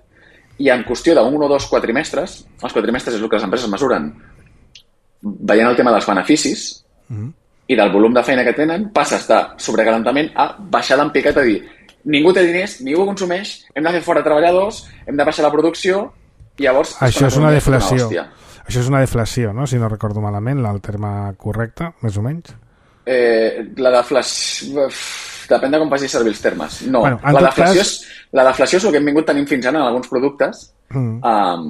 [SPEAKER 3] i en qüestió d'un o dos quatrimestres, els quatrimestres és el que les empreses mesuren veient el tema dels beneficis mm. i del volum de feina que tenen, passes de sobrecalentament a baixar en picat, a dir, ningú té diners, ningú consumeix, hem de fer fora treballadors, hem de baixar la producció i llavors...
[SPEAKER 2] Això és una deflació. Una Això és una deflació, no? Si no recordo malament, el terme correcte, més o menys.
[SPEAKER 3] Eh, la deflació... Depèn de com facis servir els termes. No,
[SPEAKER 2] bueno,
[SPEAKER 3] la, deflació
[SPEAKER 2] cas...
[SPEAKER 3] és, la deflació és el que hem vingut tenint fins ara en alguns productes, mm. um,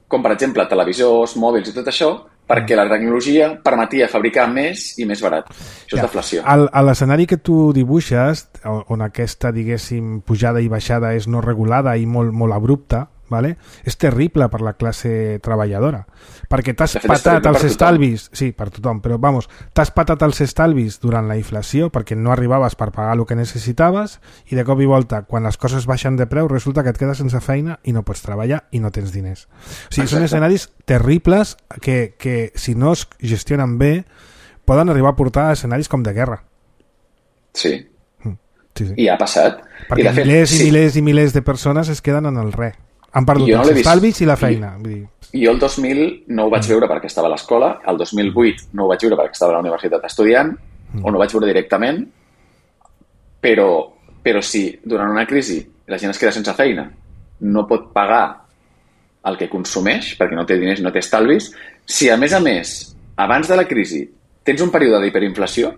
[SPEAKER 3] com per exemple televisors, mòbils i tot això, perquè mm. la tecnologia permetia fabricar més i més barat. Això ja. És deflació.
[SPEAKER 2] El, a l'escenari que tu dibuixes, on aquesta, diguéssim, pujada i baixada és no regulada i molt, molt abrupta, vale? És terrible per la classe treballadora, perquè t'has patat els estalvis, sí, per tothom, però vamos, t'has patat els estalvis durant la inflació perquè no arribaves per pagar el que necessitaves i de cop i volta, quan les coses baixen de preu, resulta que et quedes sense feina i no pots treballar i no tens diners. O sigui, Exacte. Són escenaris terribles que, que si no es gestionen bé poden arribar a portar a escenaris com de guerra.
[SPEAKER 3] Sí.
[SPEAKER 2] Mm. sí, sí.
[SPEAKER 3] I ha passat.
[SPEAKER 2] Perquè I fet, milers i sí. milers i milers de persones es queden en el res. Han perdut els no estalvis i la feina.
[SPEAKER 3] I,
[SPEAKER 2] vull dir.
[SPEAKER 3] Jo el dos mil no ho vaig mm. veure perquè estava a l'escola, el dos mil vuit no ho vaig veure perquè estava a la universitat estudiant, mm. o no ho vaig veure directament, però, però si durant una crisi la gent es queda sense feina, no pot pagar el que consumeix, perquè no té diners i no té estalvis, si a més a més, abans de la crisi, tens un període d'hiperinflació,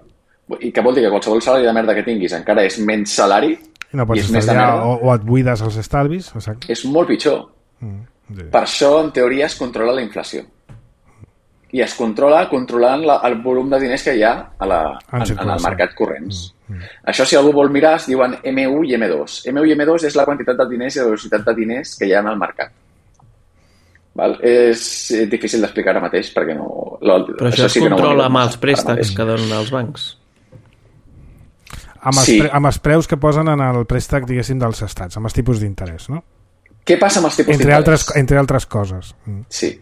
[SPEAKER 3] i que vol dir que qualsevol salari de merda que tinguis encara és menys salari,
[SPEAKER 2] i no pots estalviar, o, o et buides els estalvis, exacte.
[SPEAKER 3] És molt pitjor. Mm, sí. Per això, en teoria, es controla la inflació. I es controla controlant la, el volum de diners que hi ha a la, en, en, en el mercat corrents. Mm, mm. Això, si algú vol mirar, es diuen eme u i eme dos. eme u i eme dos és la quantitat de diners i la velocitat de diners que hi ha en el mercat. Val? És difícil d'explicar ara mateix perquè no... Lo,
[SPEAKER 4] Però això, això es sí controla no amb els préstecs que donen els bancs.
[SPEAKER 2] Amb els, sí. pre, amb els preus que posen en el préstec, diguéssim, dels estats, amb els tipus d'interès, no?
[SPEAKER 3] Què passa amb els tipus
[SPEAKER 2] entre
[SPEAKER 3] d'interès?
[SPEAKER 2] Altres, entre altres coses. Mm.
[SPEAKER 3] Sí.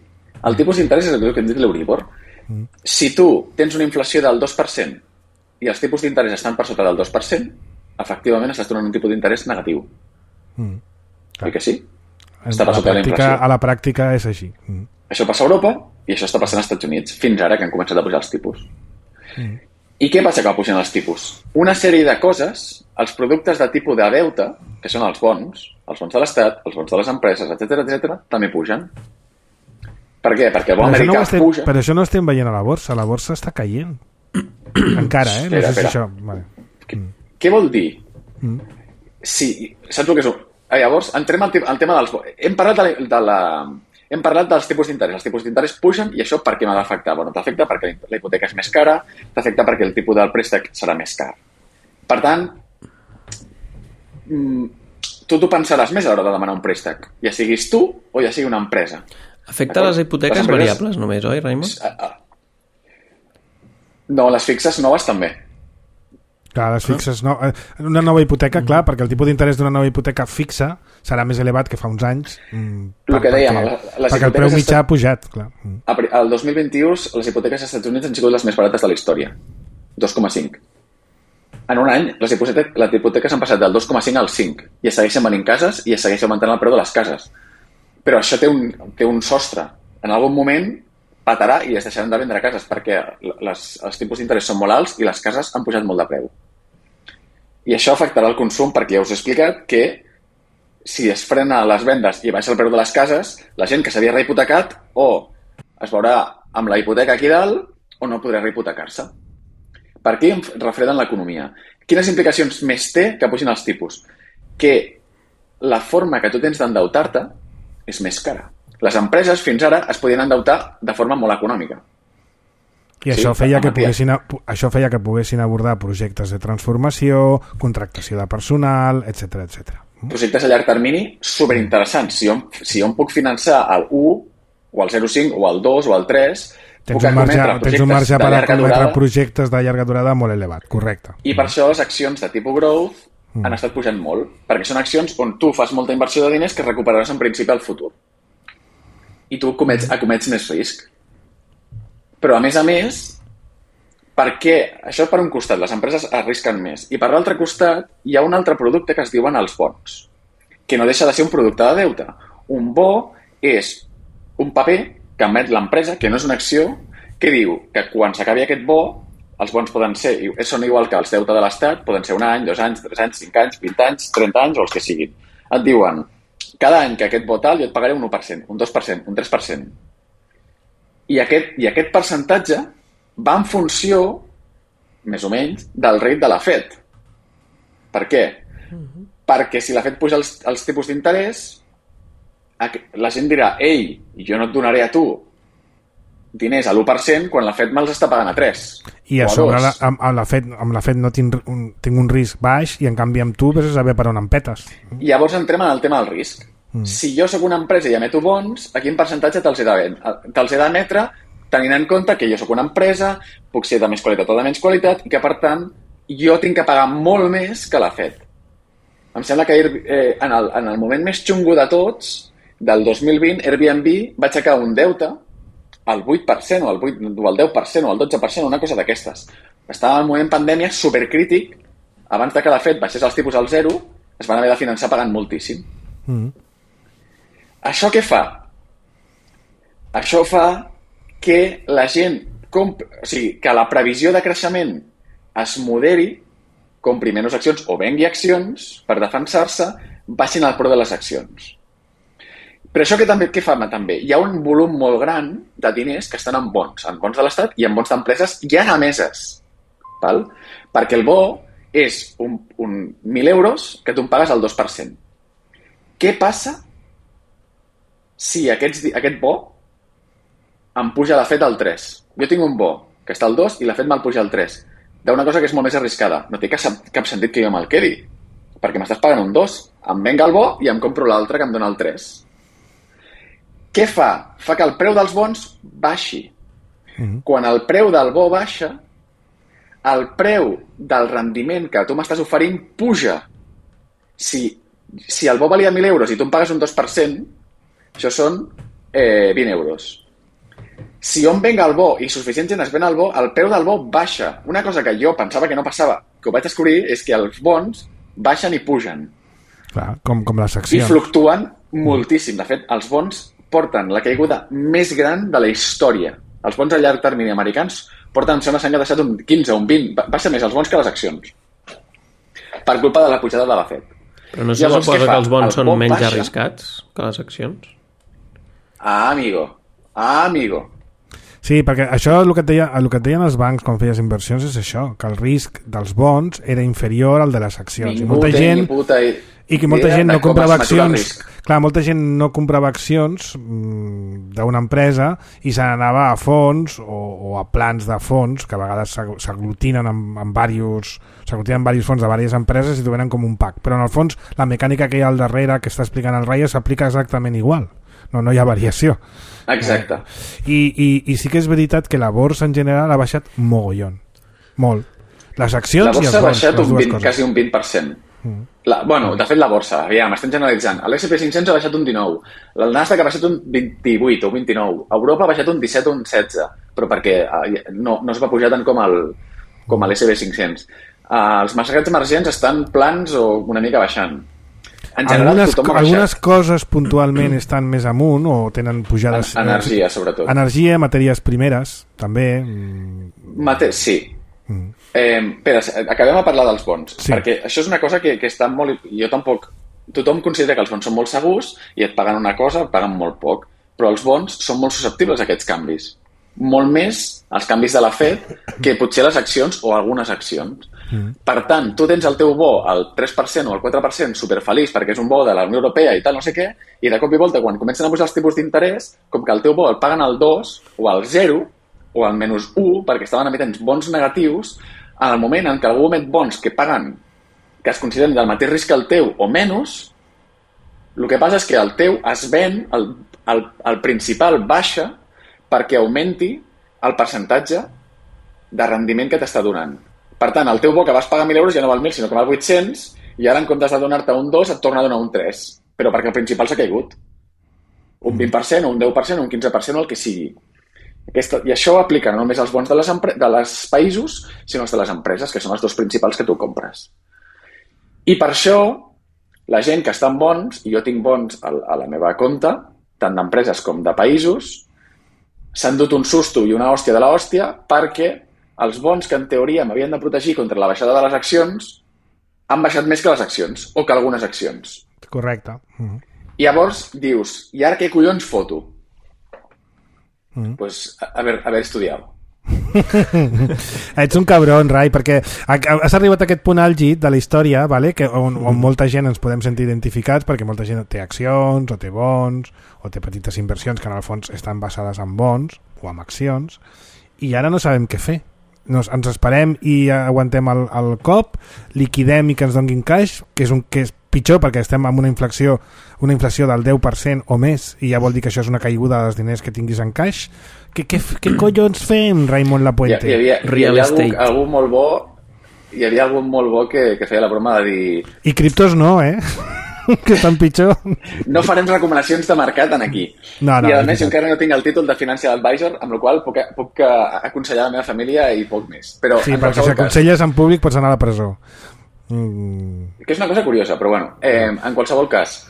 [SPEAKER 3] El tipus d'interès és el que hem dit l'Euribor. Mm. Si tu tens una inflació del dos per cent i els tipus d'interès estan per sota del dos per cent, efectivament estàs donant un tipus d'interès negatiu. Mm. Oi que sí? Està per sota de la inflació.
[SPEAKER 2] A la pràctica és així. Mm.
[SPEAKER 3] Això passa a Europa i això està passant als Estats Units, fins ara que han començat a pujar els tipus. Mm. I què passa que pugen els tipus? Una sèrie de coses, els productes de tipus de deute, que són els bons, els bons de l'Estat, els bons de les empreses, etcètera, etcètera, també pugen. Per què? Perquè el bo americà
[SPEAKER 2] no estem,
[SPEAKER 3] puja.
[SPEAKER 2] Per això no estem veient a la borsa. La borsa està caient. Encara, eh? No
[SPEAKER 3] espera,
[SPEAKER 2] sé si
[SPEAKER 3] espera.
[SPEAKER 2] això... Vale.
[SPEAKER 3] Què, què vol dir? Mm. Si, saps el que és? Ah, llavors, entrem al, al tema dels... Hem parlat de la... De la Hem parlat dels tipus d'interès. Els tipus d'interès pugen i això per què m'ha d'afectar? Bueno, t'afecta perquè la hipoteca és més cara, t'afecta perquè el tipus del préstec serà més car. Per tant, tu t'ho pensaràs més a l'hora de demanar un préstec, ja siguis tu o ja sigui una empresa.
[SPEAKER 4] Afecta les hipoteques les empreses... variables només, oi, Raimon?
[SPEAKER 3] No, les fixes noves també.
[SPEAKER 2] Clar, les fixes, no. Una nova hipoteca, clar, perquè el tipus d'interès d'una nova hipoteca fixa serà més elevat que fa uns anys.
[SPEAKER 3] El que dèiem,
[SPEAKER 2] perquè, les perquè el preu mitjà ha pujat, clar.
[SPEAKER 3] El dos mil vint-i-u les hipoteques als Estats Units han sigut les més barates de la història. dos coma cinc. En un any, les hipoteques, les hipoteques han passat del dos coma cinc al cinc i es segueixen venint cases i es segueix augmentant el preu de les cases. Però això té un, té un sostre. En algun moment patarà i es deixaran de vendre cases perquè les, els tipus d'interès són molt alts i les cases han pujat molt de preu. I això afectarà el consum perquè ja us he explicat que si es frena les vendes i baixa el preu de les cases, la gent que s'havia rehipotecat o es veurà amb la hipoteca aquí dalt o no podrà rehipotecar-se. Per què refreden l'economia? Quines implicacions més té que pugin els tipus? Que la forma que tu tens d'endeutar-te és més cara. Les empreses fins ara es podien endeutar de forma molt econòmica.
[SPEAKER 2] I això, sí, feia que poguessin, això feia que poguessin abordar projectes de transformació, contractació de personal, etcètera, etcètera.
[SPEAKER 3] Projectes a llarg termini superinteressants. Si jo, si jo em puc finançar el u, o el zero coma cinc, o el dos, o el tres,
[SPEAKER 2] tens
[SPEAKER 3] puc
[SPEAKER 2] un marge,
[SPEAKER 3] acometre
[SPEAKER 2] tens un marge per acometre
[SPEAKER 3] durada,
[SPEAKER 2] projectes de llarga durada molt elevat, correcte.
[SPEAKER 3] I per això les accions de tipus growth mm. han estat pujant molt, perquè són accions on tu fas molta inversió de diners que recuperaràs en principi al futur. I tu comets, acomets més risc. Però, a més a més, per què? Això per un costat, les empreses arrisquen més. I per l'altre costat, hi ha un altre producte que es diuen els bons, que no deixa de ser un producte de deute. Un bo és un paper que emet l'empresa, que no és una acció, que diu que quan s'acabi aquest bo, els bons poden ser, són igual que els deute de l'Estat, poden ser un any, dos anys, tres anys, cinc anys, vint anys, trenta anys o els que siguin. Et diuen, cada any que aquest bo tal jo et pagaré un u per cent, un dos per cent, un tres per cent. I aquest, i aquest percentatge va en funció, més o menys, del rate de la Fed. Per què? Uh-huh. Perquè si la Fed puja els, els tipus d'interès, la gent dirà, ei, jo no et donaré a tu diners a l'u per cent quan la Fed me'ls està pagant a tres.
[SPEAKER 2] I a, a sobre la, amb, amb, la Fed, amb la Fed no tinc un, tinc un risc baix i en canvi amb tu vés a saber per on em petes.
[SPEAKER 3] I llavors entrem en el tema del risc. Mm. Si jo sóc una empresa i emeto bons, a quin percentatge te'ls he de, te'ls he d'emetre tenint en compte que jo sóc una empresa, puc ser de més qualitat o de menys qualitat i que, per tant, jo tinc que pagar molt més que la Fed. Em sembla que eh, en, el, en el moment més xungo de tots, del dos mil vint, Airbnb va aixecar un deute al vuit per cent o al, vuit, o al deu per cent o al dotze per cent, una cosa d'aquestes. Estava en un moment pandèmia supercrític, abans de que la Fed baixés els tipus al zero, es van haver de finançar pagant moltíssim. Mm. Això què fa? Això fa que la gent compri, o sigui, que la previsió de creixement es moderi, compri menys accions o vengui accions per defensar-se, baixin el preu de les accions. Però això que també què fa també? Hi ha un volum molt gran de diners que estan en bons, en bons de l'Estat i en bons d'empreses ja emeses. Val? Perquè el bo és un, un mil euros que tu em pagues al dos per cent. Què passa si aquests, aquest bo em puja la Fed al tres? Jo tinc un bo que està al dos i la Fed me'l puja al tres. D'una cosa que és molt més arriscada. No té cap, cap sentit que jo me'l quedi, perquè m'estàs pagant un dos. Em venga el bo i em compro l'altre que em dona el tres. Què fa? Fa que el preu dels bons baixi. Mm-hmm. Quan el preu del bo baixa, el preu del rendiment que tu m'estàs oferint puja. Si, si el bo valia mil euros i tu em pagues un dos per cent, això són eh, vint euros. Si jo em venga el bo i suficient gent es ven el bo, el preu del bo baixa. Una cosa que jo pensava que no passava, que ho vaig descobrir, és que els bons baixen i pugen.
[SPEAKER 2] Clar, com, com les accions.
[SPEAKER 3] I fluctuen moltíssim. De fet, els bons porten la caiguda més gran de la història. Els bons a llarg termini americans porten, em sembla, s'han deixat un quinze o un vint. Baixa més els bons que les accions. Per culpa de la pujada de la Fed.
[SPEAKER 4] Però no se Llavors, suposa que els bons el són bon menys baixa. Arriscats que les accions?
[SPEAKER 3] Ah, amigo. Ah, amigo.
[SPEAKER 2] Sí, perquè això el que, et deia, el que et deien els bancs quan feies inversions és això, que el risc dels bons era inferior al de les accions.
[SPEAKER 3] Ningú
[SPEAKER 2] I molta
[SPEAKER 3] té,
[SPEAKER 2] gent,
[SPEAKER 3] puta
[SPEAKER 2] i que molta gent no comprava accions. Clar, molta gent no comprava accions mmm, d'una empresa i se n'anava a fons o, o a plans de fons, que a vegades s'aglutinen amb, amb diversos s'aglutinen amb diversos fons de diverses empreses i t'ho venen com un pack. Però en el fons la mecànica que hi ha al darrere que està explicant el Raya s'aplica exactament igual. No, no hi ha variació.
[SPEAKER 3] Exacte.
[SPEAKER 2] Eh, i, i, I sí que és veritat que la borsa en general ha baixat mogollon. Molt. Les accions i els bons.
[SPEAKER 3] La borsa ha baixat un vint, quasi un vint per cent. Mm. La, bueno, de fet la borsa, aviam, estem generalitzant. L'S and P cinc cents ha baixat un dinou. El Nasdaq ha baixat un vint-i-vuit o vint-i-nou. Europa ha baixat un disset o un setze. Però perquè no, no es va pujar tant com el com l'S and P cinc cents. Uh, els mercats emergents estan plans o una mica baixant. En general,
[SPEAKER 2] algunes, algunes coses puntualment estan més amunt o tenen pujades...
[SPEAKER 3] En, energia, sobretot.
[SPEAKER 2] Energia, matèries primeres, també.
[SPEAKER 3] Mate sí. Mm. Eh, Pere, acabem a parlar dels bons,
[SPEAKER 2] sí.
[SPEAKER 3] perquè això és una cosa que, que està molt... Jo tampoc... Tothom considera que els bons són molt segurs i et paguen una cosa, et paguen molt poc, però els bons són molt susceptibles a aquests canvis. Molt més els canvis de la Fed que potser les accions o algunes accions. Mm. Per tant, tu tens el teu bo al tres per cent o al quatre per cent superfeliç perquè és un bo de la Unió Europea i tal, no sé què, i de cop i volta, quan comencen a pujar els tipus d'interès, com que el teu bo el paguen al dos o al zero o al menys u, perquè estaven emetent bons negatius, en el moment en què algú emet bons que paguen, que es consideren del mateix risc que el teu o menys, el que passa és que el teu es ven, el, el, el principal baixa perquè augmenti el percentatge de rendiment que t'està donant. Per tant, el teu bo que vas pagar mil euros ja no val mil, sinó que val vuit-cents, i ara en comptes de donar-te un dos et torna a donar un tres, però perquè el principal s'ha caigut. Un vint per cent, o un deu per cent, o un quinze per cent, o el que sigui. Aquesta, I això ho aplica no només als bons de les, de les països, sinó als de les empreses, que són els dos principals que tu compres. I per això, la gent que està en bons, i jo tinc bons a, a la meva compte, tant d'empreses com de països, s'han dut un susto i una hòstia de la hòstia perquè els bons que en teoria m'havien de protegir contra la baixada de les accions han baixat més que les accions, o que algunes accions.
[SPEAKER 2] Correcte. Mm-hmm.
[SPEAKER 3] I llavors dius, i ara què collons foto?
[SPEAKER 2] Mm-hmm.
[SPEAKER 3] Pues haver, haver estudiat.
[SPEAKER 2] Ets un cabron, Rai, perquè has arribat a aquest punt àlgid de la història, vale? Que on, on molta gent ens podem sentir identificats, perquè molta gent té accions, o té bons, o té petites inversions que en el fons estan basades en bons o en accions, i ara no sabem què fer. Nos, ens esperem i aguantem el, el cop, liquidem i que ens donguin caix, que és, un, que és pitjor perquè estem amb una inflació una inflació del deu per cent o més, i ja vol dir que això és una caiguda dels diners que tinguis en caix. Què, què, què collons fem, Raimon Lapuente?
[SPEAKER 3] Hi, hi havia, hi havia algú, algú molt bo, hi havia algú molt bo que, que feia la broma de dir...
[SPEAKER 2] I criptos no, eh? Que estan pitjor.
[SPEAKER 3] No farem recomanacions de mercat en aquí.
[SPEAKER 2] No, no,
[SPEAKER 3] I a més, jo encara no tinc el títol de Financial Advisor, amb el qual puc, puc aconsellar la meva família i poc més. Però,
[SPEAKER 2] sí, perquè si aconselles en públic pots anar a la presó. Mm.
[SPEAKER 3] Que és una cosa curiosa, però bueno, eh, en qualsevol cas,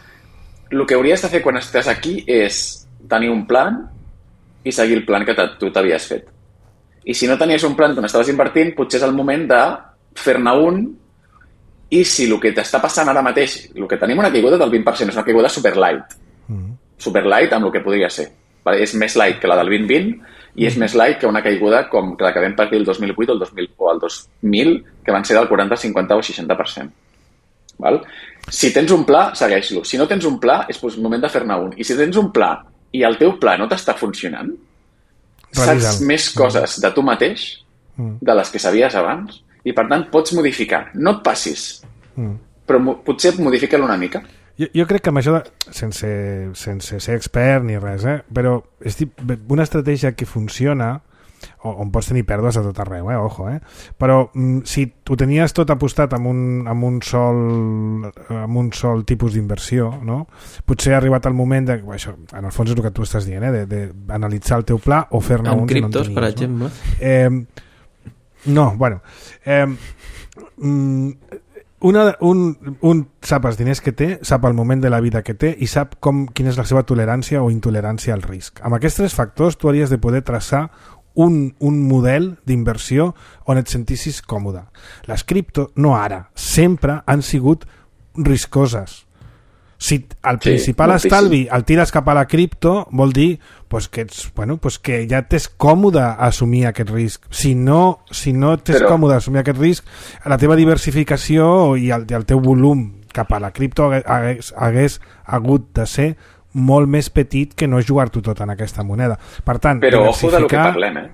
[SPEAKER 3] el que hauries de fer quan estàs aquí és tenir un plan i seguir el plan que tu t'havies fet. I si no tenies un plan on estaves invertint, potser és el moment de fer-ne un, i si el que t'està passant ara mateix, el que tenim una caiguda del vint per cent, és una caiguda super light. Mm. Super light amb el que podria ser. És més light que la del vint vint i és més light que una caiguda com la que vam patir el dos mil vuit o el, dos mil, o el dos mil, que van ser del quaranta, cinquanta o seixanta per cent. Val? Si tens un pla, segueix-lo. Si no tens un pla, és el moment de fer-ne un. I si tens un pla i el teu pla no t'està funcionant,
[SPEAKER 2] Revisa'l.
[SPEAKER 3] Saps més coses de tu mateix de les que sabies abans i, per tant, pots modificar. No et passis, mm. però mo- potser modifica-lo una mica.
[SPEAKER 2] Jo, jo crec que amb això, de, sense, sense ser expert ni res, eh? Però és una estratègia que funciona, on pots tenir pèrdues a tot arreu, eh? Ojo, eh? Però mm, si ho tenies tot apostat amb un, amb un, sol, amb un sol tipus d'inversió, no? Potser ha arribat el moment de... Això, en el fons és el que tu estàs dient, eh? D'analitzar el teu pla o fer-ne un...
[SPEAKER 4] Amb criptos,
[SPEAKER 2] si no
[SPEAKER 4] per
[SPEAKER 2] tenies,
[SPEAKER 4] exemple.
[SPEAKER 2] No? Eh, no, bueno... Eh, mm, Una, un, un sap els diners que té, sap el moment de la vida que té i sap com, quina és la seva tolerància o intolerància al risc. Amb aquests tres factors tu hauries de poder traçar un, un model d'inversió on et sentissis còmode. Les cripto, no ara, sempre han sigut riscoses. Si el principal sí, estalvi el tires cap a la cripto, vol dir pues, que, ets, bueno, pues, que ja t'és còmode assumir aquest risc. Si no, si no t'és Però... còmode assumir aquest risc, la teva diversificació i el, i el teu volum cap a la cripto hagués, hagués hagut de ser molt més petit que no jugar-t'ho tot en aquesta moneda. Per tant,
[SPEAKER 3] Però
[SPEAKER 2] diversificar...
[SPEAKER 3] ojo de lo que parlem, eh?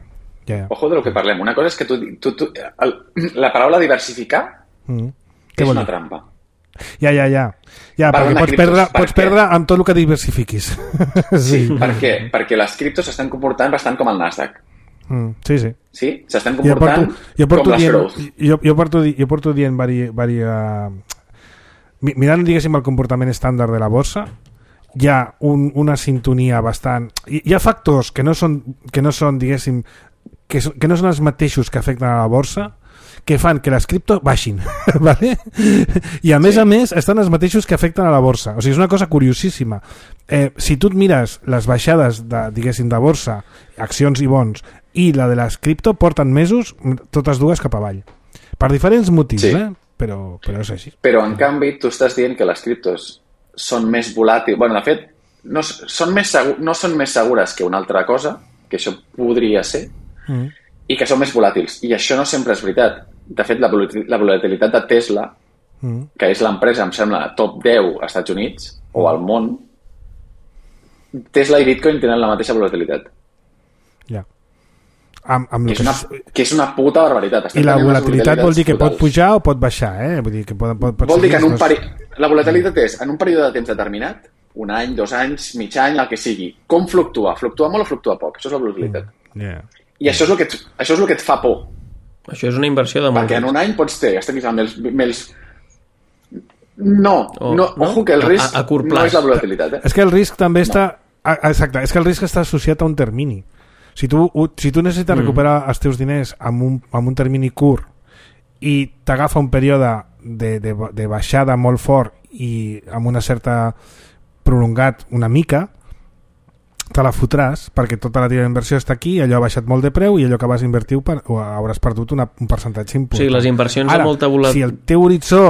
[SPEAKER 3] Yeah, yeah. Ojo de lo que parlem. Una cosa és que tu, tu, tu, el, la paraula diversificar mm. és una trampa.
[SPEAKER 2] Ja, ja, ja. ja perquè pots criptos, perdre, per pots perdre amb tot el que diversifiquis.
[SPEAKER 3] Sí, sí. Per què? Perquè les criptos s'estan comportant bastant com el Nasdaq.
[SPEAKER 2] Mm, sí, sí.
[SPEAKER 3] Sí? S'estan comportant jo porto, jo porto com
[SPEAKER 2] dient,
[SPEAKER 3] les Growth.
[SPEAKER 2] Jo, jo, porto, jo porto dient vari, vari, uh, mirant, diguéssim, el comportament estàndard de la borsa, hi ha un, una sintonia bastant... Hi, hi ha factors que no són, que no són diguéssim, que, so, que no són els mateixos que afecten a la borsa, que fan que les cripto baixin, ¿vale? I a més sí. a més estan els mateixos que afecten a la borsa. O sigui, és una cosa curiosíssima. Eh, si tu et mires les baixades de, diguéssim, de borsa, accions i bons, i la de les cripto porten mesos totes dues cap avall. Per diferents motius, sí. eh? Però, però és així.
[SPEAKER 3] Però, en canvi, tu estàs dient que les criptos són més volàtils. Bueno, de fet, no són més, segur, no són més segures que una altra cosa, que això podria ser, mm. i que són més volàtils. I això no sempre és veritat. De fet, la, la volatilitat de Tesla, mm. que és l'empresa, em sembla, top deu als Estats Units, mm. o al món, Tesla i Bitcoin tenen la mateixa volatilitat.
[SPEAKER 2] Ja. Yeah. Amb, amb
[SPEAKER 3] que, és una, que és una puta barbaritat.
[SPEAKER 2] Estem I la volatilitat vol dir que totals. Pot pujar o pot baixar, eh? Vull dir que pot, pot, pot
[SPEAKER 3] vol dir que en un peri... la volatilitat és en un període de temps determinat, un any, dos anys, mig any, el que sigui. Com fluctua? Fluctua molt o fluctua poc? Això és la volatilitat.
[SPEAKER 2] Mm. Yeah.
[SPEAKER 3] I això és, el que et, això és el que et fa por.
[SPEAKER 4] Això és una inversió de molt.
[SPEAKER 3] Perquè en un any pots ter, estem amb els... Amb els... No, oh, no, no, ojo que el risc a, a, a no és la volatilitat. Eh?
[SPEAKER 2] És que el risc també no. està... Exacte, és que el risc està associat a un termini. Si tu, si tu necessites mm. recuperar els teus diners amb un, amb un termini curt i t'agafa un període de, de, de baixada molt fort i amb una certa prolongat una mica, te la fotràs perquè tota la teva inversió està aquí, allò ha baixat molt de preu i allò que vas invertir per, hauràs perdut una, un percentatge important.
[SPEAKER 4] O sigui, les inversions
[SPEAKER 2] Ara,
[SPEAKER 4] de molta volativitat...
[SPEAKER 2] si el teu horitzó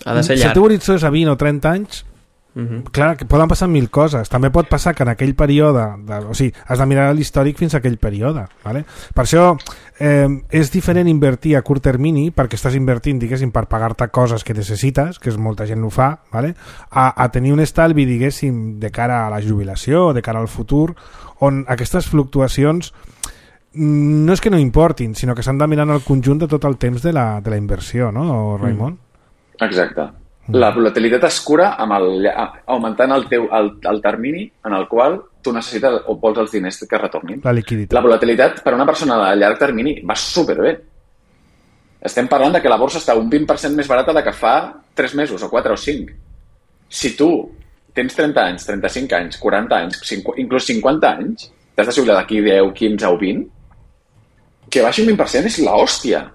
[SPEAKER 4] ha de ser
[SPEAKER 2] si el teu horitzó és a vint o trenta anys, Uh-huh. clar, que poden passar mil coses. També pot passar que en aquell període de, o sigui, has de mirar l'històric fins a aquell període, vale? Per això eh, és diferent invertir a curt termini perquè estàs invertint, diguéssim, per pagar-te coses que necessites, que és molta gent ho fa, vale? a, a tenir un estalvi, diguéssim, de cara a la jubilació, de cara al futur, on aquestes fluctuacions no és que no importin, sinó que s'han de mirar en el conjunt de tot el temps de la, de la inversió, no, Raimon?
[SPEAKER 3] Exacte. La volatilitat es cura amb el, augmentant el, teu, el, el termini en el qual tu necessites o vols els diners que retornin.
[SPEAKER 2] La liquiditat.
[SPEAKER 3] La volatilitat per a una persona a llarg termini va superbé. Estem parlant de que la borsa està un vint per cent més barata de que fa tres mesos o quatre o cinc. Si tu tens trenta anys, trenta-cinc anys, quaranta anys, cinquanta, inclús cinquanta anys, t'has de jubilar d'aquí deu, quinze o vint, que baixi un vint per cent és l'hòstia.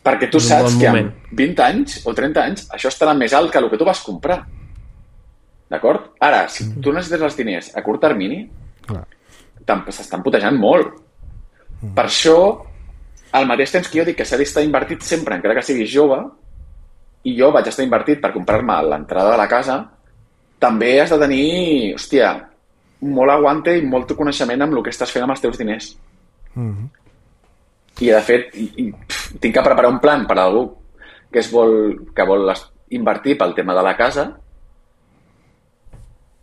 [SPEAKER 3] Perquè tu saps bon que amb vint anys o trenta anys això estarà més alt que el que tu vas comprar. D'acord? Ara, si tu necessites els diners a curt termini, s'estan putejant molt. Mm. Per això, al mateix temps que jo dic que s'ha d'estar invertit sempre, encara que siguis jove, i jo vaig estar invertit per comprar-me l'entrada de la casa, també has de tenir, hòstia, molt aguante i molt coneixement amb el que estàs fent amb els teus diners. Mm. I de fet i, i, pff, tinc que preparar un plan per a algú que, es vol, que vol invertir pel tema de la casa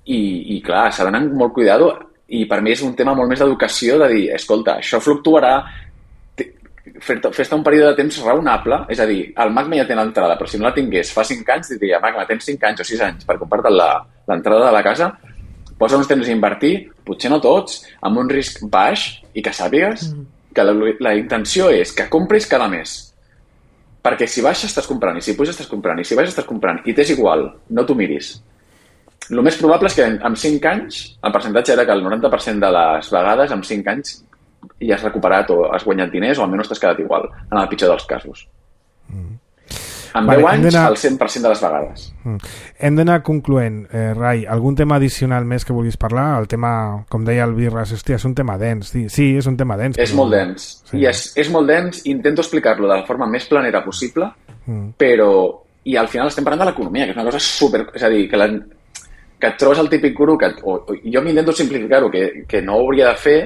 [SPEAKER 3] i, i clar, s'ha d'anar amb molt cuidado i per mi és un tema molt més d'educació de dir, escolta, això fluctuarà fer-te un període de temps raonable, és a dir, el Magma ja té l'entrada, però si no la tingués fa cinc anys diria, Magma, tens cinc anys o sis anys per comprar-te l'entrada de la casa, posa uns temps a invertir, potser no tots, amb un risc baix i que sàpigues mm. que la, la intenció és que compris cada mes. Perquè si baixa estàs comprant, i si puja estàs comprant, i si baixa estàs comprant, i t'és igual, no t'ho miris. El més probable és que en cinc anys, el percentatge era que el noranta per cent de les vegades, en cinc anys, ja has recuperat o has guanyat diners o almenys t'has quedat igual, en el pitjor dels casos. Mm. En vale, deu anys, el cent per cent de les vegades.
[SPEAKER 2] Mm. Hem d'anar concloent. Eh, Rai, algun tema addicional més que vulguis parlar? El tema, com deia el Birras, hòstia, és un tema dens. Sí, sí és un tema dens.
[SPEAKER 3] És però... molt dens. Sí. I és, és molt dens. Intento explicar-lo de la forma més planera possible, mm. però... I al final estem parlant de l'economia, que és una cosa super... És a dir, que, la... que et trobes el típic guru que... O, o, jo m'intento simplificar-ho, que, que no ho hauria de fer,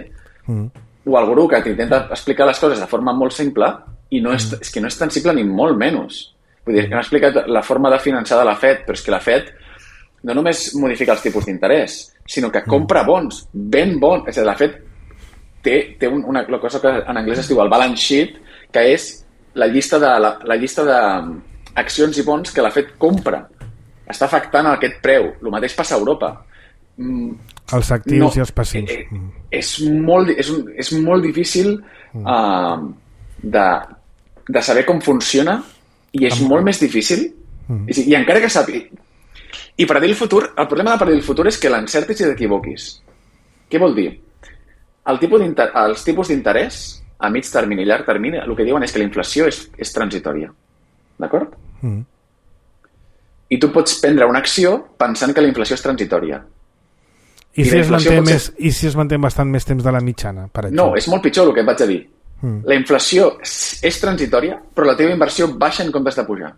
[SPEAKER 3] mm. o el guru que t'intenta explicar les coses de forma molt simple i no és, mm. és que no és tan simple ni molt menys. Vull dir, que han explicat la forma de finançar de la Fed, però és que la Fed no només modifica els tipus d'interès, sinó que compra bons, ben bons. És a dir, la Fed té, té una, una cosa que en anglès es diu el balance sheet, que és la llista de, la, la llista d'accions i bons que la Fed compra. Està afectant aquest preu. El mateix passa a Europa.
[SPEAKER 2] Els actius no, i els passius.
[SPEAKER 3] Eh, és, molt, és, un, és molt difícil uh, de, de saber com funciona i és molt més difícil mm. i, i encara que sàpiga i predir el futur, el problema de predir el futur és que l'encertis i t'equivoquis. Què vol dir? El tipus els tipus d'interès a mig termini i llarg termini el que diuen és que la inflació és, és transitòria, d'acord? Mm. I tu pots prendre una acció pensant que la inflació és transitòria
[SPEAKER 2] I, I, si es manté més, ser... I si es manté bastant més temps de la mitjana, per exemple?
[SPEAKER 3] No, és molt pitjor el que et vaig a dir. Mm. La inflació és transitòria, però la teva inversió baixa en comptes de pujar.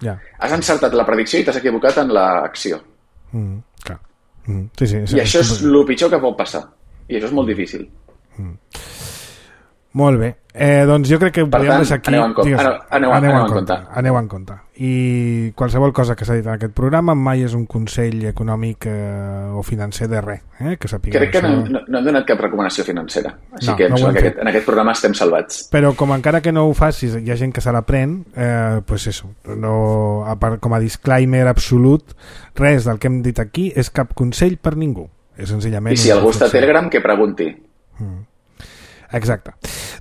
[SPEAKER 2] Ja.
[SPEAKER 3] Has encertat la predicció i t'has equivocat en l'acció.
[SPEAKER 2] Mm, clar. Mm, sí, sí,
[SPEAKER 3] I això és el pitjor que pot passar. I això és molt difícil.
[SPEAKER 2] Mm. Molt bé. Eh, doncs jo crec que ho
[SPEAKER 3] per
[SPEAKER 2] podríem
[SPEAKER 3] tant,
[SPEAKER 2] deixar aquí.
[SPEAKER 3] Aneu en compte.
[SPEAKER 2] Digues,
[SPEAKER 3] aneu, aneu,
[SPEAKER 2] aneu,
[SPEAKER 3] aneu
[SPEAKER 2] en
[SPEAKER 3] en
[SPEAKER 2] compte.
[SPEAKER 3] compte.
[SPEAKER 2] Aneu en compte. I qualsevol cosa que s'ha dit en aquest programa mai és un consell econòmic eh, o financer de res. Eh? Que
[SPEAKER 3] crec que
[SPEAKER 2] això...
[SPEAKER 3] no, no hem donat cap recomanació financera. Així
[SPEAKER 2] no,
[SPEAKER 3] que,
[SPEAKER 2] no
[SPEAKER 3] que aquest, en aquest programa estem salvats.
[SPEAKER 2] Però com encara que no ho facis, hi ha gent que se l'aprèn, eh, pues eso, no, a part, com a disclaimer absolut, res del que hem dit aquí és cap consell per ningú. És senzillament...
[SPEAKER 3] I si algú està a Telegram, que pregunti.
[SPEAKER 2] Mm. Exacte.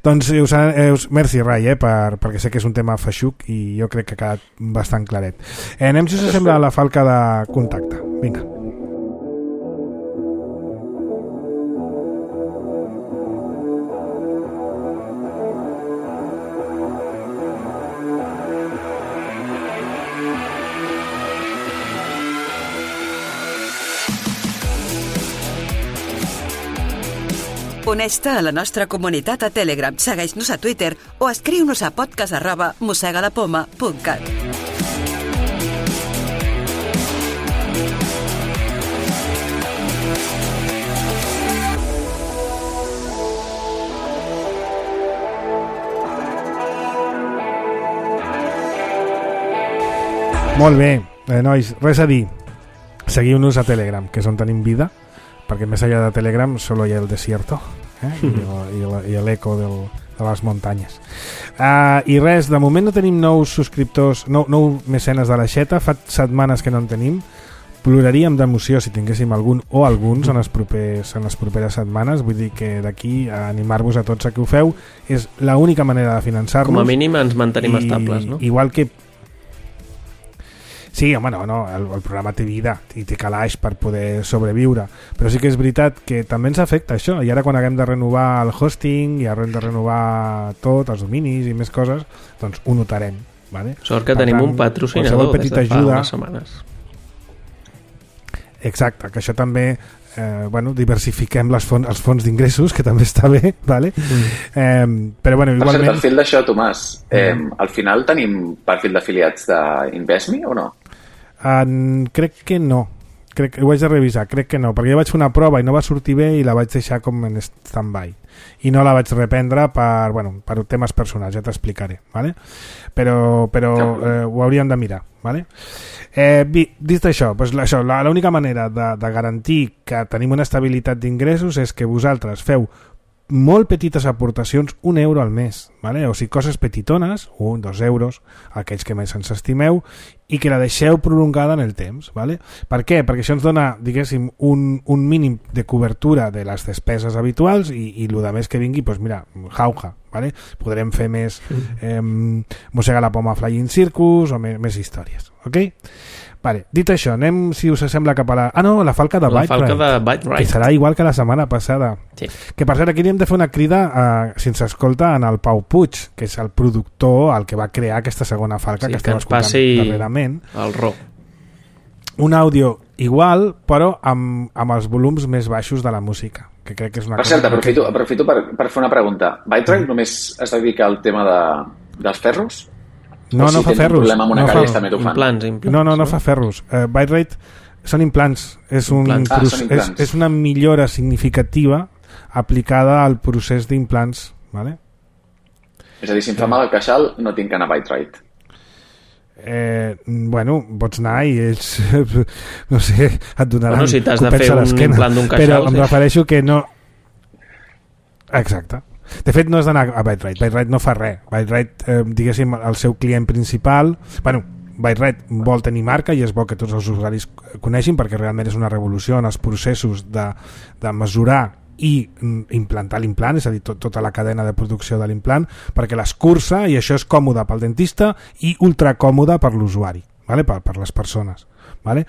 [SPEAKER 2] Doncs us, us, merci Rai, eh, per, perquè sé que és un tema feixuc i jo crec que ha quedat bastant claret. Eh, anem, si us sembla, a la falca de contacte. Vinga.
[SPEAKER 5] Uneix-te a la nostra comunitat a Telegram, segueix-nos a Twitter o escriu-nos a podcast arroba mossegalapoma punt cat.
[SPEAKER 2] Molt bé, eh, nois, res a dir. Seguiu-nos a Telegram, que és on tenim vida, perquè més allà de Telegram solo hi ha el desierto, eh? I, el, i l'eco del, de les muntanyes. Uh, I res, de moment no tenim nous subscriptors, nou, nou mecenes de l'aixeta, fa setmanes que no en tenim. Ploraríem d'emoció si tinguéssim algun o alguns en les, propers, en les properes setmanes. Vull dir que d'aquí a animar-vos a tots a que ho feu. És l'única manera de finançar-nos.
[SPEAKER 4] Com a mínim ens mantenim
[SPEAKER 2] i,
[SPEAKER 4] estables, no?
[SPEAKER 2] Igual que sí, home, no, no, el, el programa té vida i té calaix per poder sobreviure, però sí que és veritat que també ens afecta això, i ara quan haguem de renovar el hosting i haguem de renovar tot, els dominis i més coses, doncs ho notarem, vale?
[SPEAKER 4] Sort que
[SPEAKER 2] per
[SPEAKER 4] tenim
[SPEAKER 2] tant,
[SPEAKER 4] un patrocinador des de fa
[SPEAKER 2] ajuda,
[SPEAKER 4] unes setmanes.
[SPEAKER 2] Exacte, que això també eh, bueno, diversifiquem les fons, els fons d'ingressos, que també està bé, vale? Mm. Eh, però bueno, igualment...
[SPEAKER 3] Per cert, al fil d'això, Tomàs, eh, mm. al final tenim perfil d'afiliats d'Investme o no?
[SPEAKER 2] Uh, crec que no, crec que ho haig de revisar, crec que no, perquè jo vaig fer una prova i no va sortir bé i la vaig deixar com en stand-by i no la vaig reprendre per, bueno, per temes personals, ja t'explicaré, vale? però, però eh, ho hauríem de mirar, vale? Eh, dit això, doncs això, l'única manera de, de garantir que tenim una estabilitat d'ingressos és que vosaltres feu molt petites aportacions, un euro al mes, vale? O sigui, coses petitones, un, dos euros, aquells que més ens estimeu, i que la deixeu prolongada en el temps, vale? Per què? Perquè això ens dona, diguéssim, un, un mínim de cobertura de les despeses habituals i, i el més que vingui, doncs mira, jauja, vale? Podrem fer més eh, Mossega la Poma Flying Circus o més, més històries, ok? Vale, dit això, anem, si us sembla, cap a la... Ah, no, la falca de Byte Ride, que serà igual que la setmana passada. Sí. Que, per cert, aquí hem de fer una crida, eh, si ens escolta, en el Pau Puig, que és el productor, el que va crear aquesta segona falca, sí, que estem escoltant darrerament.
[SPEAKER 4] El ro.
[SPEAKER 2] Un àudio igual, però amb, amb els volums més baixos de la música, que crec que és una
[SPEAKER 3] per
[SPEAKER 2] cosa...
[SPEAKER 3] cert, aprofito, que... aprofito per, per fer una pregunta. Byte Ride mm. només es dedica al tema de, dels ferros?
[SPEAKER 2] No, no fa ferros.
[SPEAKER 3] Amb una
[SPEAKER 2] no,
[SPEAKER 3] fa...
[SPEAKER 2] fa...
[SPEAKER 4] Implants, implants,
[SPEAKER 2] no, no, no fa ferros. Uh, Byte Ride són implants. És, un
[SPEAKER 3] implants. Ah,
[SPEAKER 2] proce...
[SPEAKER 3] implants.
[SPEAKER 2] és, és una millora significativa aplicada al procés d'implants. Vale?
[SPEAKER 3] És a dir, si em fa mal el queixal, no tinc que anar a Byte Ride.
[SPEAKER 2] Eh, bueno, pots anar i ells no sé, et donaran
[SPEAKER 4] bueno, si t'has de fer un implant d'un queixal,
[SPEAKER 2] però em
[SPEAKER 4] sí.
[SPEAKER 2] refereixo que no exacte. De fet, no has d'anar a Byte Ride. Byte Ride no fa res. Byte Ride, eh, diguéssim, el seu client principal... Bueno, Byte Ride vol tenir marca i és bo que tots els usuaris coneixin perquè realment és una revolució en els processos de, de mesurar i implantar l'implant, és a dir, tot, tota la cadena de producció de l'implant, perquè l'escurça, i això és còmode pel dentista i ultracòmode per l'usuari, vale? per, per les persones. Vale?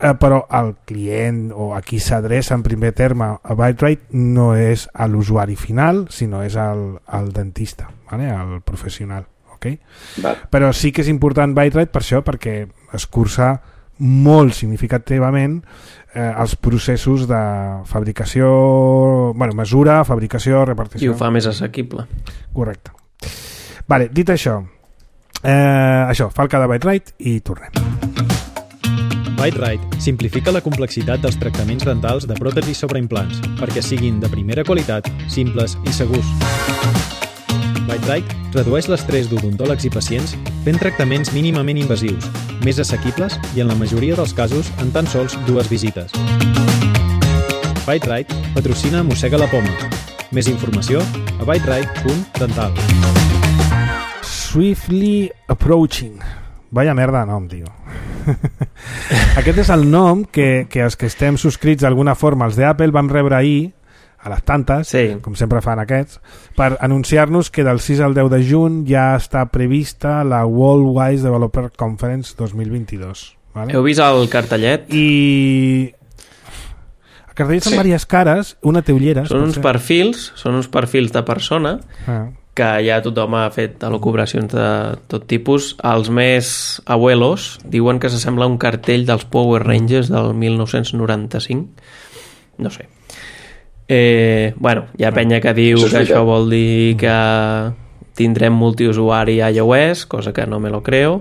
[SPEAKER 2] Eh, però el client o a qui s'adreça en primer terme a Byte Ride no és a l'usuari final, sinó és al, al dentista, vale? Al professional, okay? Però sí que és important Byte Ride per això, perquè escurça molt significativament eh, els processos de fabricació, bueno, mesura, fabricació, repartició.
[SPEAKER 4] I ho fa més assequible.
[SPEAKER 2] Correcte. Vale, dit això, eh, això, falca de Byte-Rite i tornem.
[SPEAKER 6] Byte-Rite simplifica la complexitat dels tractaments dentals de pròtesis sobre implants perquè siguin de primera qualitat, simples i segurs. Byte-Rite redueix l'estrès d'odontòlegs i pacients fent tractaments mínimament invasius, més assequibles i en la majoria dels casos en tan sols dues visites. Byte-Rite patrocina Mossega la Poma. Més informació a byterite punt dental.
[SPEAKER 2] Swiftly Approaching. Vaya merda de nom, tio. Aquest és el nom que, que els que estem subscrits d'alguna forma als d'Apple vam rebre ahir a les tantes,
[SPEAKER 4] sí.
[SPEAKER 2] com sempre fan aquests, per anunciar-nos que del sis al deu de juny ja està prevista la Worldwide Developer Conference dos mil vint-i-dos. Vale?
[SPEAKER 4] Heu vist el cartellet?
[SPEAKER 2] I... El cartellet són sí. diverses cares, una té ulleres.
[SPEAKER 4] Són uns perfils, són uns perfils de persona ah. que ja tothom ha fet elucubracions de tot tipus. Els més abuelos diuen que s'assembla a un cartell dels Power Rangers del mil nou-cents noranta-cinc. No sé. Eh, bueno, hi ha penya que diu això que això vol dir que tindrem multiusuari a iOS, cosa que no me lo creo.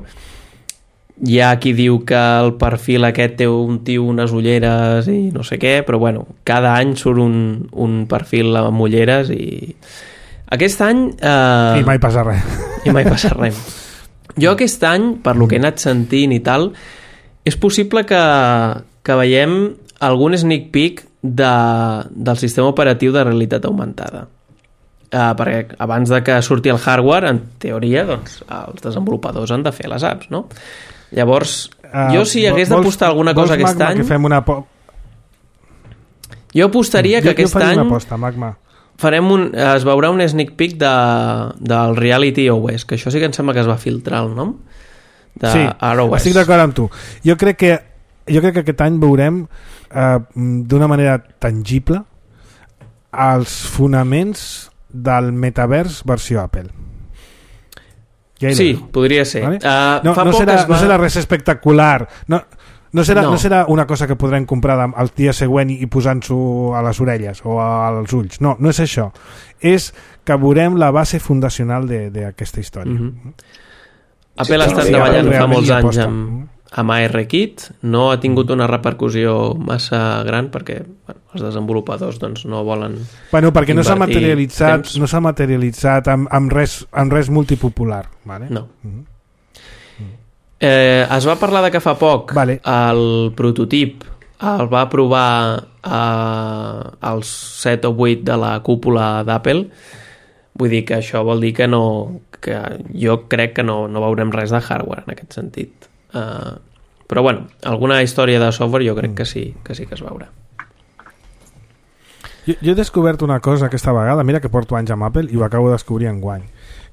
[SPEAKER 4] Hi ha qui diu que el perfil aquest té un tio, unes ulleres i no sé què, però bueno, cada any surt un, un perfil amb ulleres i aquest any... Eh...
[SPEAKER 2] I mai passa res.
[SPEAKER 4] I mai passa res. Jo aquest any, per lo que he anat sentint i tal, és possible que, que veiem algun sneak peek de, del sistema operatiu de realitat augmentada. Uh, perquè abans de que surti el hardware, en teoria, doncs, els desenvolupadors han de fer les apps, no? Llavors, uh, jo si hagués d'apostar alguna cosa aquest
[SPEAKER 2] Magma,
[SPEAKER 4] any...
[SPEAKER 2] Que fem una po...
[SPEAKER 4] Jo apostaria que
[SPEAKER 2] jo,
[SPEAKER 4] aquest
[SPEAKER 2] jo
[SPEAKER 4] any...
[SPEAKER 2] una aposta, Magma.
[SPEAKER 4] Farem un, es veurà un sneak peek de, del Reality O S, que això sí que em sembla que es va filtrar el nom de
[SPEAKER 2] sí,
[SPEAKER 4] R O S.
[SPEAKER 2] Estic d'acord amb tu. Jo crec que jo crec que aquest any veurem eh, d'una manera tangible els fonaments del metavers versió Apple. Ja
[SPEAKER 4] sí, podria ser.
[SPEAKER 2] ¿Vale?
[SPEAKER 4] Uh,
[SPEAKER 2] no,
[SPEAKER 4] fa
[SPEAKER 2] no,
[SPEAKER 4] poc
[SPEAKER 2] serà,
[SPEAKER 4] es va...
[SPEAKER 2] no serà res espectacular. No, no, serà, no.
[SPEAKER 4] No.
[SPEAKER 2] no serà una cosa que podrem comprar el dia següent i posant-s'ho a les orelles o als ulls. No, no és això. És que veurem la base fundacional d'aquesta història. Mm-hmm.
[SPEAKER 4] Apple
[SPEAKER 2] sí,
[SPEAKER 4] ha estat
[SPEAKER 2] sí,
[SPEAKER 4] treballant fa molts anys
[SPEAKER 2] aposta.
[SPEAKER 4] amb, amb ARKit, no ha tingut una repercussió massa gran perquè bueno, els desenvolupadors doncs, no volen
[SPEAKER 2] bueno, perquè no s'ha materialitzat,
[SPEAKER 4] temps.
[SPEAKER 2] no s'ha materialitzat amb, amb, res, amb res multipopular. Vale?
[SPEAKER 4] No. Mm-hmm. Eh, es va parlar de que fa poc
[SPEAKER 2] vale.
[SPEAKER 4] el prototip el va provar eh, als set o vuit de la cúpula d'Apple. Vull dir que això vol dir que no, que jo crec que no, no veurem res de hardware en aquest sentit. Uh, però bueno, alguna història de software jo crec que sí que sí que es veurà.
[SPEAKER 2] Jo, jo he descobert una cosa aquesta vegada, mira que porto anys amb Apple i ho acabo de descobrir enguany.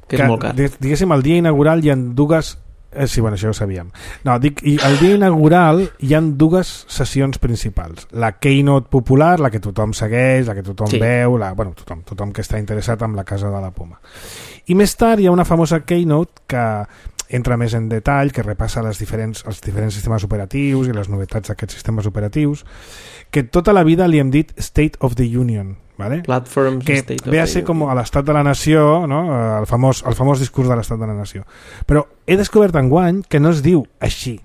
[SPEAKER 4] Que, que és molt car.
[SPEAKER 2] Diguéssim, el dia inaugural hi ha dues... Eh, sí, bueno, això ho sabíem. No, dic, i el dia inaugural hi ha dues sessions principals. La Keynote popular, la que tothom segueix, la que tothom sí. veu, la, bueno, tothom, tothom que està interessat en la casa de la Poma. I més tard hi ha una famosa Keynote que entra més en detall, que repassa les diferents, els diferents sistemes operatius i les novetats d'aquests sistemes operatius, que tota la vida li hem dit State of the Union, ¿vale?
[SPEAKER 4] Platforms,
[SPEAKER 2] que
[SPEAKER 4] State
[SPEAKER 2] ve a
[SPEAKER 4] of
[SPEAKER 2] ser
[SPEAKER 4] the
[SPEAKER 2] com a l'estat de la nació, no? el, famós, el famós discurs de l'estat de la nació. Però he descobert enguany que no es diu així.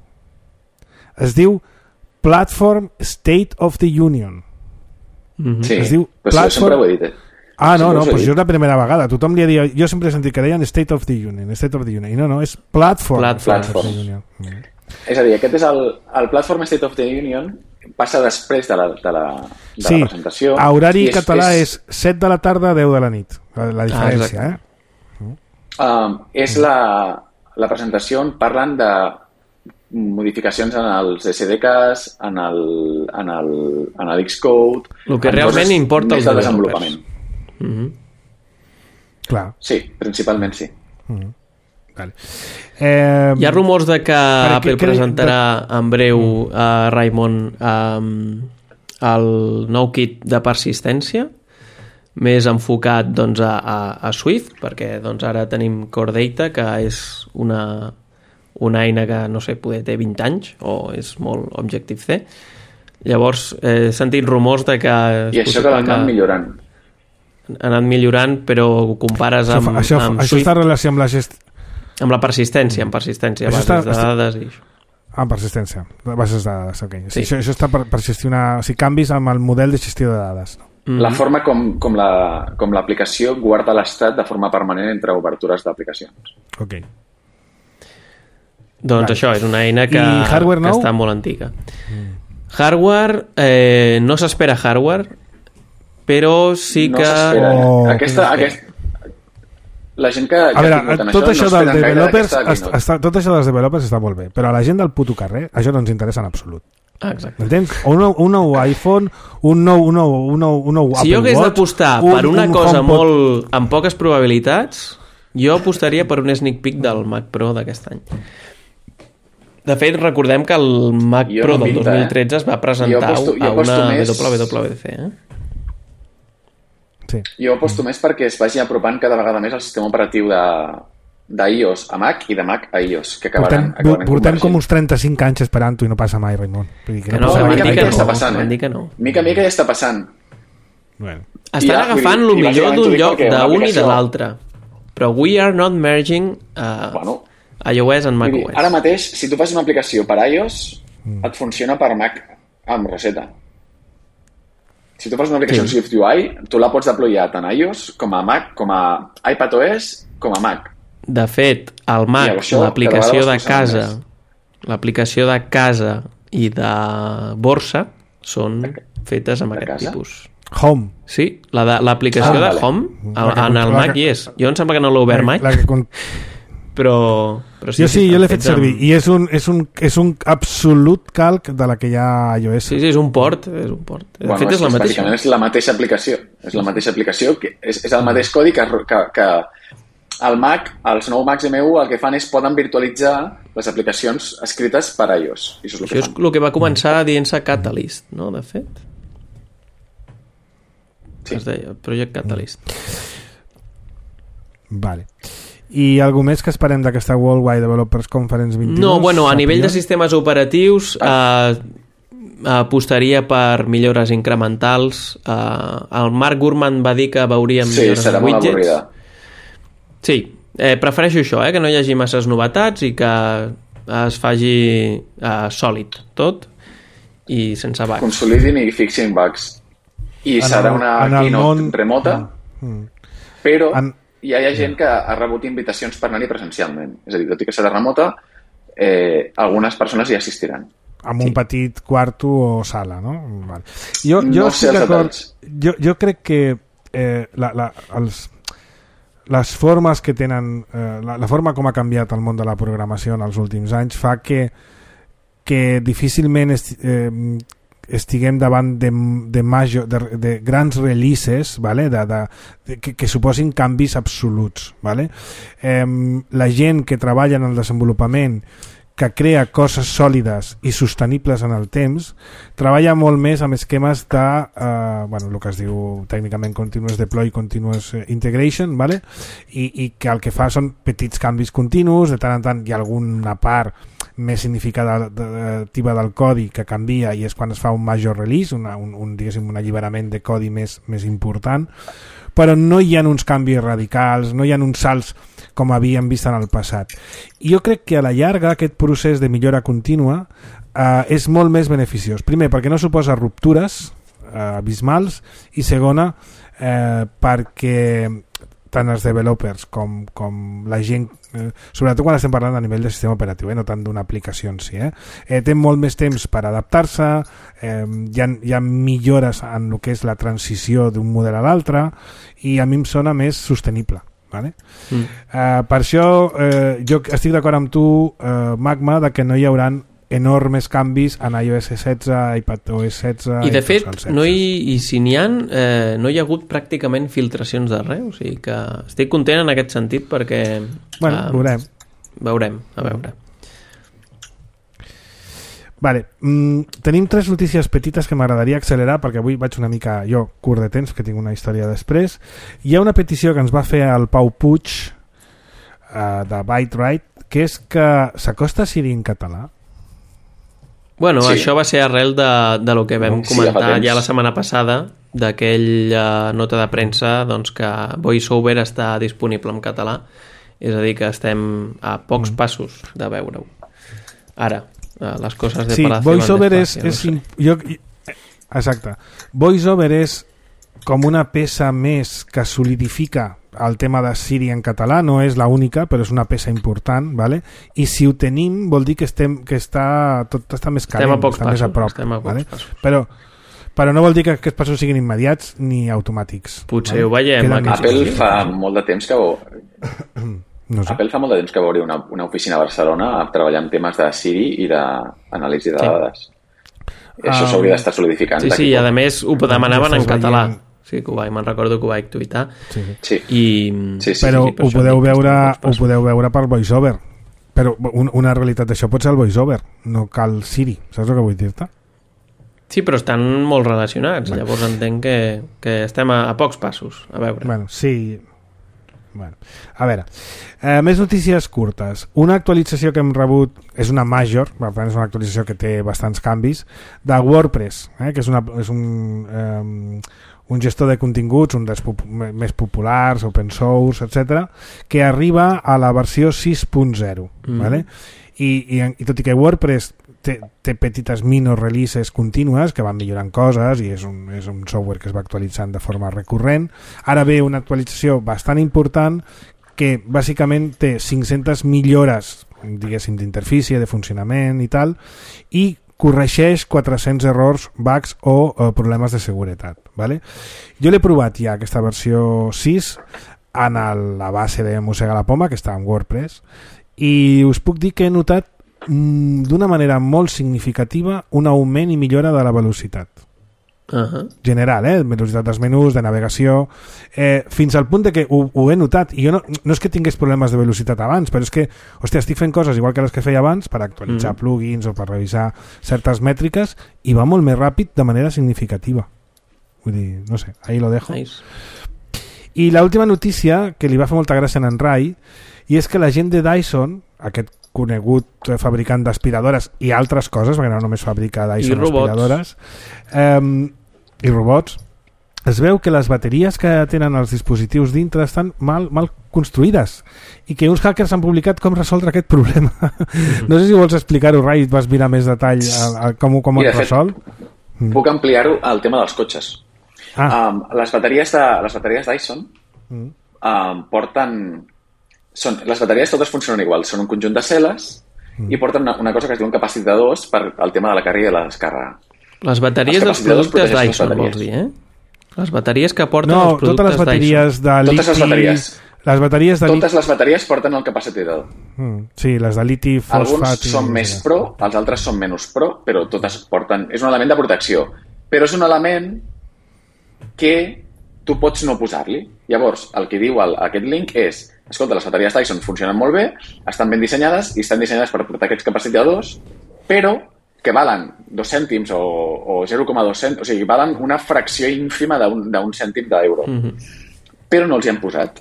[SPEAKER 2] Es diu Platform State of the Union.
[SPEAKER 3] Mm-hmm. Sí,
[SPEAKER 2] es diu
[SPEAKER 3] però
[SPEAKER 2] Platform...
[SPEAKER 3] sempre ho he dit. Eh?
[SPEAKER 2] Ah, no,
[SPEAKER 3] sempre
[SPEAKER 2] no, doncs
[SPEAKER 3] dit.
[SPEAKER 2] jo és la primera vegada. Tothom li ha dit... Jo sempre he sentit que deien State of the Union, State of the Union. I no, no, és Platform,
[SPEAKER 4] Platform.
[SPEAKER 2] State of the Union. Mm.
[SPEAKER 3] És a dir, aquest és el, el Platform State of the Union, passa després de la, de la, de
[SPEAKER 2] sí,
[SPEAKER 3] la presentació.
[SPEAKER 2] a horari
[SPEAKER 3] és,
[SPEAKER 2] català
[SPEAKER 3] és,
[SPEAKER 2] és set de la tarda, deu de la nit. La, la diferència, ah, eh?
[SPEAKER 3] Um, és la, la presentació on parlen de modificacions en els S D Ks, en el, en el, en el Xcode...
[SPEAKER 4] El que realment importa
[SPEAKER 3] els de desenvolupament.
[SPEAKER 4] Mm-hmm.
[SPEAKER 2] Clar.
[SPEAKER 3] Sí, principalment sí.
[SPEAKER 2] Mm-hmm. Vale. Eh,
[SPEAKER 4] Hi ha rumors de que Apple
[SPEAKER 2] que,
[SPEAKER 4] presentarà
[SPEAKER 2] de...
[SPEAKER 4] en breu a uh, Raimon um, el nou kit de persistència més enfocat doncs, a, a, a Swift, perquè doncs, ara tenim Core Data, que és una, una eina que, no sé, poder té vint anys o és molt Objective-C. Llavors, he sentit rumors de que...
[SPEAKER 3] I això que l'han anat millorant.
[SPEAKER 4] Ha anat millorant, però ho compares amb...
[SPEAKER 2] Això,
[SPEAKER 4] amb
[SPEAKER 2] això està en relació amb la gest...
[SPEAKER 4] Amb la persistència, amb persistència, bases
[SPEAKER 2] està,
[SPEAKER 4] de dades i això.
[SPEAKER 2] Ah, amb persistència, bases de dades, ok.
[SPEAKER 4] Sí.
[SPEAKER 2] Això, això està per, per gestionar... O sigui, canvis amb el model de gestió de dades.
[SPEAKER 3] Mm-hmm. La forma com, com, la, com l'aplicació guarda l'estat de forma permanent entre obertures d'aplicacions.
[SPEAKER 2] Ok.
[SPEAKER 4] Doncs vale. Això, és una eina que,
[SPEAKER 2] hardware
[SPEAKER 4] que
[SPEAKER 2] nou?
[SPEAKER 4] està molt antiga. Mm. Hardware, eh, no s'espera hardware, però sí
[SPEAKER 3] no
[SPEAKER 4] que...
[SPEAKER 3] s'espera.
[SPEAKER 2] Oh,
[SPEAKER 3] aquesta, aquest... La gent que...
[SPEAKER 2] A veure, tot això,
[SPEAKER 3] això no
[SPEAKER 2] dels developers
[SPEAKER 3] està,
[SPEAKER 2] està, tot això dels developers està molt bé, però a la gent del puto carrer això no ens interessa en absolut.
[SPEAKER 4] Ah, exacte.
[SPEAKER 2] Entens? Un nou, un nou iPhone, un nou, un nou, un nou, un nou
[SPEAKER 4] si
[SPEAKER 2] Apple
[SPEAKER 4] jo hagués
[SPEAKER 2] Watch,
[SPEAKER 4] d'apostar
[SPEAKER 2] un,
[SPEAKER 4] per una
[SPEAKER 2] un
[SPEAKER 4] cosa
[SPEAKER 2] HomePod...
[SPEAKER 4] molt amb poques probabilitats, jo apostaria per un sneak peek del Mac Pro d'aquest any. De fet, recordem que el Mac
[SPEAKER 3] jo
[SPEAKER 4] Pro
[SPEAKER 3] no
[SPEAKER 4] del
[SPEAKER 3] pinta,
[SPEAKER 4] dos mil tretze
[SPEAKER 3] eh?
[SPEAKER 4] es va presentar
[SPEAKER 3] aposto,
[SPEAKER 4] a una
[SPEAKER 3] més...
[SPEAKER 4] W W D C. Eh?
[SPEAKER 2] Sí.
[SPEAKER 3] Jo aposto més perquè es vagi apropant cada vegada més el sistema operatiu de d'iOS a Mac i de Mac a iOS, que acabaran,
[SPEAKER 2] portem,
[SPEAKER 3] acabaran
[SPEAKER 2] portem com uns trenta-cinc anys esperant-ho i no passa mai, Raimon. Vull dir
[SPEAKER 4] que no,
[SPEAKER 3] no,
[SPEAKER 4] no,
[SPEAKER 3] mica, mica
[SPEAKER 4] no,
[SPEAKER 3] ja està passant,
[SPEAKER 4] eh?
[SPEAKER 3] eh?
[SPEAKER 4] No.
[SPEAKER 3] Mica mica ja està passant.
[SPEAKER 2] Bueno.
[SPEAKER 4] Estan
[SPEAKER 3] ja,
[SPEAKER 4] agafant
[SPEAKER 3] dir,
[SPEAKER 4] el millor d'un lloc d'un
[SPEAKER 3] aplicació...
[SPEAKER 4] i de l'altre. Però we are not merging uh,
[SPEAKER 3] bueno,
[SPEAKER 4] iOS and macOS.
[SPEAKER 3] Ara mateix, si tu fas una aplicació per iOS, mm. et funciona per Mac amb Rosetta. Si tu fas una aplicació sí. SwiftUI, tu la pots deployar tant a iOS com a Mac, com a iPadOS, com a Mac.
[SPEAKER 4] De fet, el Mac, l'aplicació de casa, l'aplicació de casa i de borsa són fetes amb aquest casa? Tipus.
[SPEAKER 2] Home.
[SPEAKER 4] Sí, l'aplicació la de, ah, de Home, el, en el Mac hi és. Jo em sembla que no l'he obert mai,
[SPEAKER 2] la que con...
[SPEAKER 4] però, però sí,
[SPEAKER 2] jo sí, jo l'he fet servir
[SPEAKER 4] amb...
[SPEAKER 2] i és un, és, un, és un absolut calc de la que hi ha a iOS.
[SPEAKER 4] Sí, sí, és un port, és un port. De
[SPEAKER 3] bueno,
[SPEAKER 4] fet, és,
[SPEAKER 3] és
[SPEAKER 4] la mateixa.
[SPEAKER 3] És la mateixa aplicació. És la mateixa aplicació, que és, és el mateix codi que, que, que el Mac, els nous Macs M U, el que fan és poden virtualitzar les aplicacions escrites per iOS. I això és el que,
[SPEAKER 4] això és el que va començar dient-se Catalyst, no, de fet? Sí. Es deia Project Catalyst.
[SPEAKER 2] Vale. I algú més que esperem d'aquesta Worldwide Developers Conference vint-i-dos?
[SPEAKER 4] No, bueno, a nivell de sistemes operatius eh, apostaria per millores incrementals. Eh, el Mark Gurman va dir que veuríem
[SPEAKER 3] sí,
[SPEAKER 4] millores
[SPEAKER 3] serà
[SPEAKER 4] widgets.
[SPEAKER 3] Molt avorrida.
[SPEAKER 4] Sí, eh, prefereixo això, eh, que no hi hagi masses novetats i que es faci eh, sòlid tot i sense bugs.
[SPEAKER 3] Consolidin i fixin bugs. I en serà el, una keynote món... remota, mm. però en... ja hi ha gent que ha rebut invitacions per anar-hi presencialment. És a dir, tot i que serà remota, eh, algunes persones hi assistiran.
[SPEAKER 2] Amb
[SPEAKER 3] sí.
[SPEAKER 2] un petit quarto o sala, no? Vale. Jo, jo,
[SPEAKER 3] no sé els detalls.
[SPEAKER 2] Jo, jo crec que eh, la, la, els, les formes que tenen, eh, la, la forma com ha canviat el món de la programació en els últims anys fa que, que difícilment est, eh, estiguem davant de, de, major, de, de grans releases, vale? de, de, de, que, que suposin canvis absoluts. Vale? Eh, la gent que treballa en el desenvolupament, que crea coses sòlides i sostenibles en el temps, treballa molt més amb esquemes de, eh, bueno, el que es diu tècnicament Continuous Deploy, Continuous Integration, vale? I, i que el que fa són petits canvis continus, de tant en tant hi ha alguna part més significativa del codi que canvia i és quan es fa un major release, una, un, un, diguéssim, un alliberament de codi més, més important, però no hi ha uns canvis radicals, no hi ha uns salts com havíem vist en el passat. I jo crec que a la llarga aquest procés de millora contínua eh, és molt més beneficiós. Primer, perquè no suposa ruptures eh, abismals, i segona, eh, perquè tant els developers com, com la gent, eh, sobretot quan estem parlant a nivell de sistema operatiu, eh, no tant d'una aplicació en si, eh, eh, té molt més temps per adaptar-se, eh, hi, ha, hi ha millores en el que és la transició d'un model a l'altre, i a mi em sona més sostenible. Vale? Mm. Uh, per això uh, jo estic d'acord amb tu, uh, Magma, de que no hi haurà enormes canvis en iOS setze, iPadOS setze
[SPEAKER 4] i de i fet no hi, i si n'hi ha eh, no hi ha hagut pràcticament filtracions de res, o sigui que estic content en aquest sentit perquè
[SPEAKER 2] bueno,
[SPEAKER 4] uh,
[SPEAKER 2] veurem
[SPEAKER 4] veurem, a veure
[SPEAKER 2] Vale, mm, tenim tres notícies petites que m'agradaria accelerar perquè avui vaig una mica, jo, curt de temps, que tinc una història després. Hi ha una petició que ens va fer el Pau Puig uh, de ByteWrite, que és que s'acosta a Siri en català.
[SPEAKER 4] Bueno,
[SPEAKER 3] Sí.
[SPEAKER 4] això va ser arrel de, de lo que vam
[SPEAKER 3] Sí,
[SPEAKER 4] comentar
[SPEAKER 3] ja fa temps.
[SPEAKER 4] ja la setmana passada, d'aquella nota de premsa doncs, que VoiceOver està disponible en català. És a dir, que estem a pocs
[SPEAKER 2] Mm.
[SPEAKER 4] passos de veure-ho. Ara, eh, les coses de
[SPEAKER 2] Sí,
[SPEAKER 4] Palacio van
[SPEAKER 2] VoiceOver és...
[SPEAKER 4] despacio,
[SPEAKER 2] és
[SPEAKER 4] no
[SPEAKER 2] im- jo, exacte. VoiceOver és com una peça més que solidifica el tema de Siri en català, no és la única, però és una peça important, ¿vale? I si ho tenim vol dir que estem que està tot està més calent,
[SPEAKER 4] Estem a pocs
[SPEAKER 2] està més a
[SPEAKER 4] passos,
[SPEAKER 2] prop,
[SPEAKER 4] estem a pocs
[SPEAKER 2] ¿vale?
[SPEAKER 4] passos.
[SPEAKER 2] Però però no vol dir que aquests passos siguin immediats ni automàtics.
[SPEAKER 4] Potser ho veiem,
[SPEAKER 2] Queda
[SPEAKER 4] aquests
[SPEAKER 2] més-
[SPEAKER 3] Apple fa molt de temps que...
[SPEAKER 2] No sé.
[SPEAKER 3] Apple fa molt de temps que va obrir una, una oficina a Barcelona treballant temes de Siri i d'anàlisi de
[SPEAKER 4] Sí.
[SPEAKER 3] dades. I això
[SPEAKER 2] Ah,
[SPEAKER 3] s'hauria d'estar solidificant.
[SPEAKER 4] Sí,
[SPEAKER 3] d'aquí
[SPEAKER 4] sí, i
[SPEAKER 3] poc.
[SPEAKER 4] a més ho demanaven
[SPEAKER 2] Ja
[SPEAKER 4] en
[SPEAKER 2] estàs
[SPEAKER 4] català.
[SPEAKER 2] veient.
[SPEAKER 4] Sí, que ho vaig, me'n recordo que ho vaig tuitar.
[SPEAKER 2] Sí, sí.
[SPEAKER 3] Sí.
[SPEAKER 4] I...
[SPEAKER 3] Sí, sí,
[SPEAKER 2] Però
[SPEAKER 4] sí, per
[SPEAKER 2] ho
[SPEAKER 4] això
[SPEAKER 2] podeu
[SPEAKER 4] dic que
[SPEAKER 2] veure
[SPEAKER 4] estem a pocs
[SPEAKER 2] ho
[SPEAKER 4] passos.
[SPEAKER 2] podeu veure per VoiceOver. Però un, una realitat d'això pot ser el VoiceOver, no cal Siri, saps el que vull dir-te?
[SPEAKER 4] Sí, però estan molt relacionats. Llavors entenc que, que estem a, a pocs passos. A veure.
[SPEAKER 2] Bueno, sí. Bueno, a veure, eh, més notícies curtes. Una actualització que hem rebut és una major, per tant és una actualització que té bastants canvis, de WordPress, eh, que és, una, és un, eh, un gestor de continguts, un dels pop més populars, open source, etcètera, que arriba a la versió sis punt zero.
[SPEAKER 4] Mm.
[SPEAKER 2] ¿vale? I, i, I tot i que WordPress té, té petites minor releases contínues que van millorant coses i és un, és un software que es va actualitzant de forma recurrent, ara ve una actualització bastant important que bàsicament té cinc-centes millores, diguéssim, d'interfície, de funcionament i tal, i corregeix quatre-cents errors, bugs o eh, problemes de seguretat. ¿vale? Jo l'he provat ja, aquesta versió sis, en el, la base de Mossega la Poma, que està en WordPress, i us puc dir que he notat mm, d'una manera molt significativa un augment i millora de la velocitat.
[SPEAKER 4] Uh -huh.
[SPEAKER 2] General, eh? Velocitat dels menús, de navegació, eh, fins al punt de que ho, ho he notat, i jo no, no és que tingués problemes de velocitat abans, però és que, hòstia, estic fent coses igual que les que feia abans per actualitzar
[SPEAKER 4] Mm.
[SPEAKER 2] plugins o per revisar certes mètriques, i va molt més ràpid de manera significativa. Vull dir, no sé, ahí lo dejo.
[SPEAKER 4] Nice.
[SPEAKER 2] I l'última notícia, que li va fer molta gràcia a en Rai, i és que la gent de Dyson, aquest conegut fabricant d'aspiradores i altres coses, perquè no només fabrica Dyson
[SPEAKER 4] I robots.
[SPEAKER 2] aspiradores, eh, i robots, es veu que les bateries que tenen els dispositius dintre estan mal, mal construïdes i que uns hackers han publicat com resoldre aquest problema. Mm-hmm. No sé si vols explicar-ho, Rai, et vas mirar més detall a, a com, com
[SPEAKER 3] Mira,
[SPEAKER 2] es
[SPEAKER 3] de fet,
[SPEAKER 2] resol.
[SPEAKER 3] Puc ampliar-ho al tema dels cotxes.
[SPEAKER 2] Ah,
[SPEAKER 3] Um, les bateries de, les bateries Dyson
[SPEAKER 2] mm.
[SPEAKER 3] um, porten... Són, les bateries totes funcionen igual, són un conjunt de cel·les
[SPEAKER 2] Mm.
[SPEAKER 3] i porten una, una cosa que es diu un capacitadors per al tema de la càrrega i la descàrrega.
[SPEAKER 4] Les bateries
[SPEAKER 3] Els
[SPEAKER 4] dels
[SPEAKER 3] capacitadors
[SPEAKER 4] productes
[SPEAKER 3] protegeixen les
[SPEAKER 4] Dyson,
[SPEAKER 3] bateries.
[SPEAKER 4] vols dir, eh? Les bateries que porten
[SPEAKER 2] no,
[SPEAKER 4] els productes
[SPEAKER 2] totes les bateries de liti...
[SPEAKER 3] Totes les bateries.
[SPEAKER 2] Les bateries de
[SPEAKER 3] Totes les bateries porten el capacitador.
[SPEAKER 2] Mm, sí, les de liti,
[SPEAKER 3] Alguns
[SPEAKER 2] fosfat... i-
[SPEAKER 3] són més pro, els altres són menys pro, però totes porten... És un element de protecció, però és un element que tu pots no posar-li. Llavors, el que diu el, aquest link és escolta, les bateries Dyson funcionen molt bé, estan ben dissenyades i estan dissenyades per portar aquests capacitadors, però que valen dos cèntims o, o zero coma dos cèntims, o sigui, valen una fracció ínfima d'un d'un cèntim d'euro.
[SPEAKER 4] Mm -hmm.
[SPEAKER 3] Però no els hi han posat.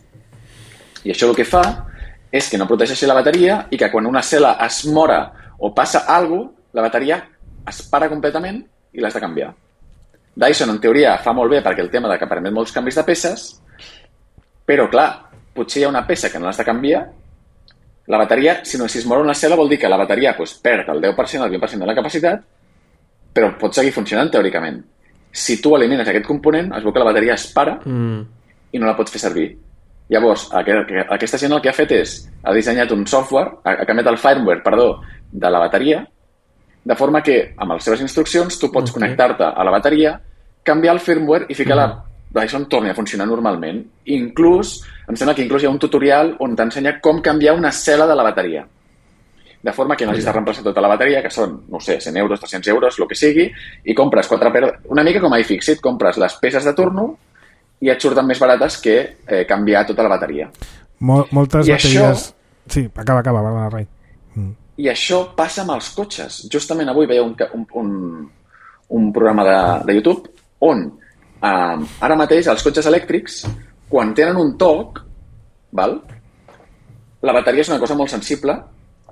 [SPEAKER 3] I això el que fa és que no protegeixi la bateria i que quan una cel·la es mora o passa alguna cosa, la bateria es para completament i l'has de canviar. Dyson, en teoria, fa molt bé perquè el tema de que permet molts canvis de peces, però, clar, potser hi ha una peça que no l'has de canviar, la bateria, si no si es mor una cel·la, vol dir que la bateria pues, perd el deu per cent, el vint per cent de la capacitat, però pot seguir funcionant teòricament. Si tu elimines aquest component, es veu que la bateria es para
[SPEAKER 4] Mm.
[SPEAKER 3] i no la pots fer servir. Llavors, aquesta gent el que ha fet és, ha dissenyat un software, ha canviat el firmware, perdó, de la bateria, de forma que, amb les seves instruccions, tu pots
[SPEAKER 4] Okay.
[SPEAKER 3] connectar-te a la bateria, canviar el firmware i ficar la Dyson torni a funcionar normalment. Inclús, em sembla que inclús hi ha un tutorial on t'ensenya com canviar una cel·la de la bateria. De forma que no hagis de reemplaçar tota la bateria, que són, no sé, cent euros, tres-cents euros, el que sigui, i compres quatre per... Una mica com a iFixit, compres les peces de torno i et surten més barates que eh, canviar tota la bateria.
[SPEAKER 2] Mol moltes
[SPEAKER 3] I
[SPEAKER 2] bateries...
[SPEAKER 3] això-
[SPEAKER 2] Sí, acaba, acaba, va, Rai. Mm.
[SPEAKER 3] I això passa amb els cotxes. Justament avui veia un, un, un, un programa de, de YouTube on eh, ara mateix els cotxes elèctrics, quan tenen un toc, val? La bateria és una cosa molt sensible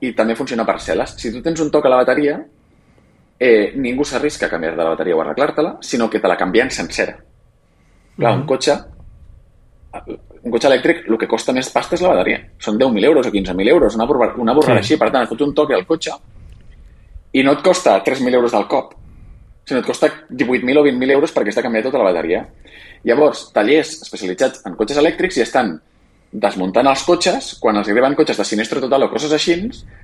[SPEAKER 3] i també funciona per cel·les. Si tu tens un toc a la bateria, eh, ningú s'arrisca a canviar-te la bateria o arreglar-te-la, sinó que te la canvien sencera. Clar, un cotxe, un cotxe elèctric, el que costa més pasta és la bateria. Són deu mil euros o quinze mil euros, una borrada, una borrada sí. Així. Per tant, et fots un toc al cotxe i no et costa tres mil euros del cop, sinó et costa divuit mil o vint mil euros perquè està canviat tota la bateria. Llavors, tallers especialitzats en cotxes elèctrics ja estan desmuntant els cotxes, quan els arriben cotxes de sinistre total o coses així,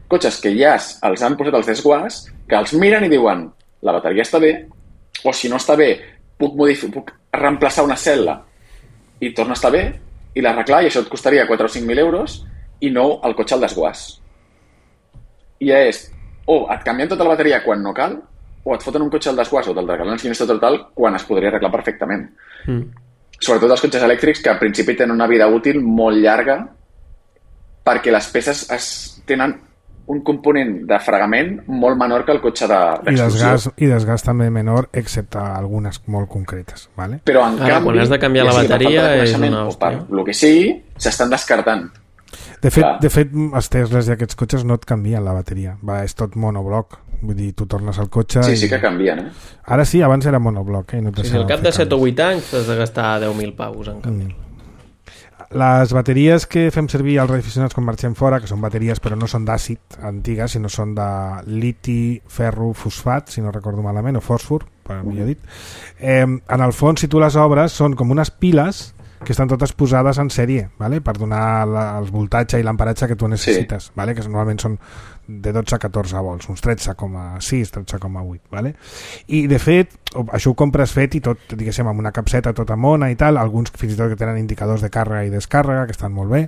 [SPEAKER 3] cotxes que ja els han posat els desguàs, que els miren i diuen la bateria està bé, o si no està bé, puc, modific- puc reemplaçar una cel·la i torna a estar bé, i l'arreglar, i això et costaria quatre o cinc mil euros, i no el cotxe al desguàs. I ja és, o et canvien tota la bateria quan no cal, o et foten un cotxe al desguàs o te'l regalen sinistre total quan es podria arreglar perfectament. Mm. Sobretot els cotxes elèctrics, que al principi tenen una vida útil molt llarga perquè les peces es tenen un component de fregament molt menor que el cotxe d'explosió.
[SPEAKER 2] I desgast, i desgast també menor, excepte algunes molt concretes. ¿Vale?
[SPEAKER 3] Però en
[SPEAKER 4] Ara,
[SPEAKER 3] canvi,
[SPEAKER 4] quan has de canviar
[SPEAKER 3] ja
[SPEAKER 4] la
[SPEAKER 3] sigui per
[SPEAKER 4] bateria
[SPEAKER 3] falta de
[SPEAKER 4] és
[SPEAKER 3] coneixement
[SPEAKER 4] una
[SPEAKER 3] o per
[SPEAKER 4] hòstia.
[SPEAKER 3] el que sigui, s'estan descartant.
[SPEAKER 2] De fet,
[SPEAKER 3] Clar.
[SPEAKER 2] de fet, els Teslas i aquests cotxes no et canvien la bateria. Va, és tot monobloc. Vull dir, tu tornes al cotxe...
[SPEAKER 3] Sí,
[SPEAKER 2] i...
[SPEAKER 3] sí que canvien, eh?
[SPEAKER 2] Ara sí, abans era monobloc. Eh? No
[SPEAKER 4] Sí, sí, al cap de set o vuit anys t'has de gastar deu mil paus en canvi.
[SPEAKER 2] Mm. Les bateries que fem servir als radioaficionats quan marxem fora, que són bateries però no són d'àcid antigues, sinó són de liti, ferro, fosfat, si no recordo malament, o fòsfor, per millor dit. Eh, en el fons, si tu les obres, són com unes piles que estan totes posades en sèrie, ¿vale? Per donar la, el voltatge i l'emparatge que tu necessites, sí. ¿Vale? Que normalment són de dotze a catorze volts, uns tretze coma sis, tretze coma vuit, ¿vale? I de fet, això ho compres fet i tot, diguéssim, amb una capseta tota mona i tal, alguns fins i tot que tenen indicadors de càrrega i descàrrega, que estan molt bé,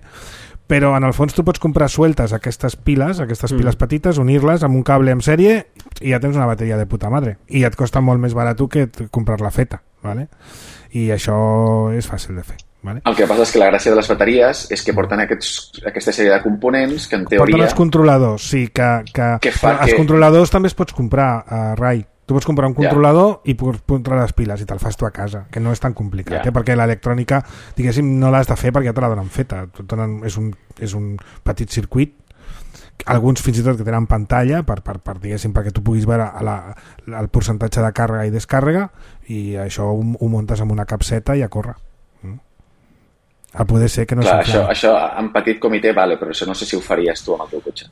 [SPEAKER 2] però en el fons tu pots comprar sueltes aquestes piles, aquestes piles mm. petites, unir-les amb un cable en sèrie i ja tens una bateria de puta madre. I et costa molt més barat que comprar-la feta, ¿vale? I això és fàcil de fer. Vale?
[SPEAKER 3] El que passa és que la gràcia de les bateries és que porten aquests, aquesta sèrie de components que en teoria...
[SPEAKER 2] Porten els controladors, sí, que, que,
[SPEAKER 3] que fa
[SPEAKER 2] els
[SPEAKER 3] que...
[SPEAKER 2] controladors també es pots comprar, uh, Rai. Tu pots comprar un controlador ja. I pots posar les piles i te'l fas tu a casa, que no és tan complicat, ja. eh? Perquè l'electrònica, diguéssim, no l'has de fer perquè ja te la donen feta. És un, és un petit circuit, alguns fins i tot que tenen pantalla per, per, per, diguéssim, perquè tu puguis veure la, el percentatge de càrrega i descàrrega, i això ho, ho muntes amb una capseta i a córrer. A poder ser que no
[SPEAKER 3] Clar, això, això en petit comitè vale, però això no sé si ho faries tu amb el teu cotxe.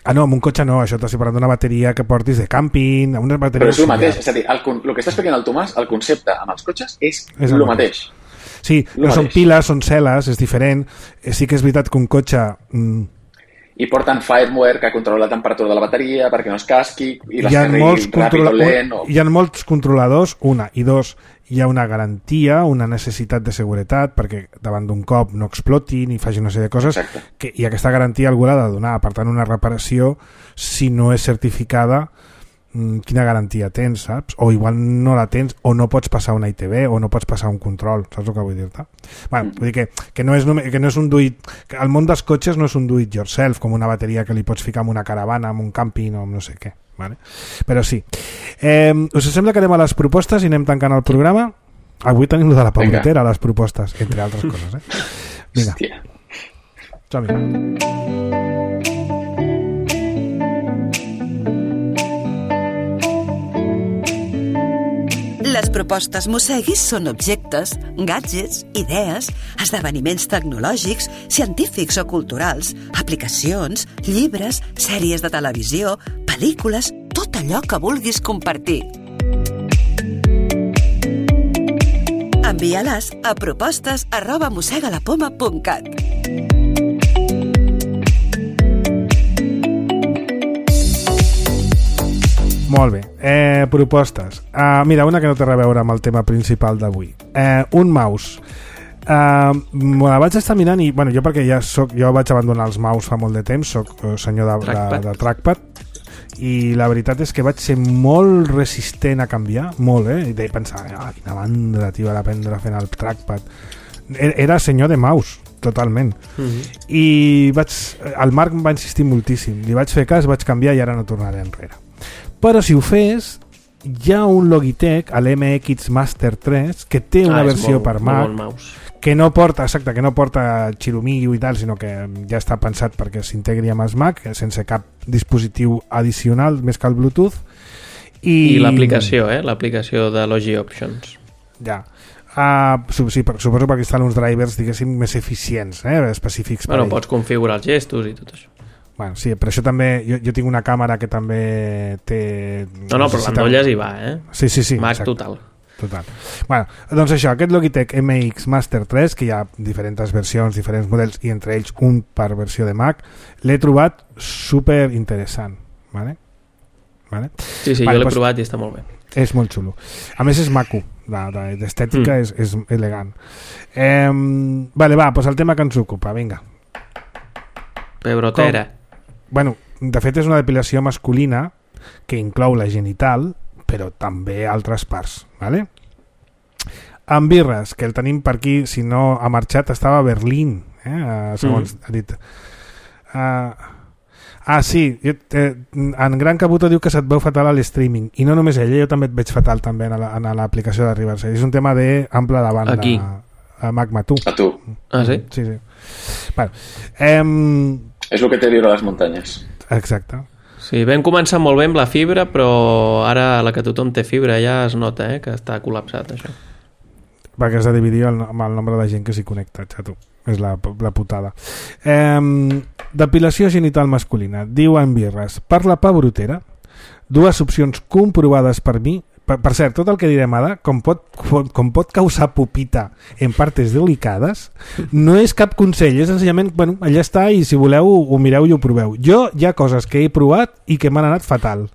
[SPEAKER 2] Ah, no, amb un cotxe no, això t'estic parlant d'una bateria que portis de càmping, una bateria...
[SPEAKER 3] Però és el mateix, és a dir, el, el que està explicant el Tomàs, el concepte amb els cotxes és, és el, el mateix. mateix.
[SPEAKER 2] Sí, no mateix. Són piles, són cel·les, és diferent. Sí que és veritat que un cotxe... Mm,
[SPEAKER 3] i porten firmware que controla la temperatura de la bateria perquè no es casqui i les
[SPEAKER 2] carregui
[SPEAKER 3] ràpid o lent. O...
[SPEAKER 2] Hi ha molts controladors, una, i dos, hi ha una garantia, una necessitat de seguretat perquè davant d'un cop no exploti ni faci una sèrie de coses que, i aquesta garantia algú l'ha de donar. Per tant, una reparació, si no és certificada, quina garantia tens, saps? O igual no la tens, o no pots passar una I T B, o no pots passar un control, saps el que vull dir-te? Bueno, vull dir que, que, no és només, que no és un do it, que el món dels cotxes no és un do it yourself, com una bateria que li pots ficar en una caravana, en un càmping o no sé què, vale? Però sí. Eh, us sembla que anem a les propostes i anem tancant el programa? Avui tenim lo de la Pauletera, les propostes, entre altres coses, eh? Vinga.
[SPEAKER 3] Hòstia.
[SPEAKER 2] Som-hi.
[SPEAKER 5] Les propostes Mosseguis són objectes, gadgets, idees, esdeveniments tecnològics, científics o culturals, aplicacions, llibres, sèries de televisió, pel·lícules, tot allò que vulguis compartir. Envia-les a propostes arroba mossegalapoma punt cat.
[SPEAKER 2] Molt bé, eh, propostes. Uh, mira, una que no té res a veure amb el tema principal d'avui. Eh, un mouse. Uh, me la vaig estar mirant i, bueno, jo perquè ja soc, jo vaig abandonar els mouse fa molt de temps, soc senyor de, trackpad. de, de trackpad, i la veritat és que vaig ser molt resistent a canviar, molt, eh? I de pensar, ah, quina mandra, tio, d'aprendre fent el trackpad. Era senyor de mouse, totalment. Mm-hmm. I vaig, el Marc em va insistir moltíssim, li vaig fer cas, vaig canviar i ara no tornaré enrere. Però si ho fes, hi ha un Logitech, l'M X Master tres, que té una
[SPEAKER 4] ah,
[SPEAKER 2] versió
[SPEAKER 4] molt,
[SPEAKER 2] per Mac,
[SPEAKER 4] molt bon mouse.
[SPEAKER 2] que no porta, exacte, que no porta xiromillo i tal, sinó que ja està pensat perquè s'integri amb els Mac, sense cap dispositiu addicional, més que el Bluetooth. I,
[SPEAKER 4] I l'aplicació, eh? L'aplicació de Logi Options.
[SPEAKER 2] Ja. Uh, sí, per, suposo perquè estan uns drivers, diguéssim, més eficients, eh? Específics per
[SPEAKER 4] bueno,
[SPEAKER 2] ell.
[SPEAKER 4] Pots configurar els gestos i tot això.
[SPEAKER 2] Bueno, sí, però això també... Jo, jo tinc una càmera que també té...
[SPEAKER 4] No, no, però l'endolles hi va, eh?
[SPEAKER 2] Sí, sí, sí.
[SPEAKER 4] Mac
[SPEAKER 2] exacte.
[SPEAKER 4] total.
[SPEAKER 2] Total. Bueno, doncs això, aquest Logitech M X Master tres, que hi ha diferents versions, diferents models, i entre ells un per versió de Mac, l'he trobat super interessant. Vale? Vale?
[SPEAKER 4] Sí, sí,
[SPEAKER 2] vale,
[SPEAKER 4] jo l'he
[SPEAKER 2] doncs,
[SPEAKER 4] provat i està molt bé.
[SPEAKER 2] És molt xulo. A més és maco, d'estètica mm. és, és elegant. Eh, vale, va, doncs el tema que ens ocupa, vinga.
[SPEAKER 4] Pebrotera.
[SPEAKER 2] Com? Bueno, de fet és una depilació masculina que inclou la genital, però també altres parts, ¿vale? En Birres, que el tenim per aquí, si no ha marxat, estava a Berlín, eh? segons mm. ha dit. Uh, ah, sí, jo, eh, en Gran Cabuto diu que se't veu fatal a l'streaming, i no només ell, jo també et veig fatal també en l'aplicació de Riverside. És un tema d'ample de banda.
[SPEAKER 4] Aquí?
[SPEAKER 2] A Magma, tu.
[SPEAKER 3] A tu.
[SPEAKER 4] Ah, sí?
[SPEAKER 2] Sí, sí. Bueno, eh,
[SPEAKER 3] és el que té viure a les muntanyes.
[SPEAKER 2] Exacte.
[SPEAKER 4] Sí, vam començar molt bé amb la fibra, però ara a la que tothom té fibra ja es nota, eh, que està col·lapsat, això.
[SPEAKER 2] Perquè has de dividir el, amb el nombre de gent que s'hi connecta, xato. És la, la putada. Eh, depilació genital masculina. Diu en Birres, per la pebrotera, dues opcions comprovades per mi. Per, per cert, tot el que direm ara, com pot, com pot causar pupita en partes delicades, no és cap consell, és senzillament, bueno, allà està, i si voleu ho mireu i ho proveu. Jo hi ha coses que he provat i que m'han anat fatal,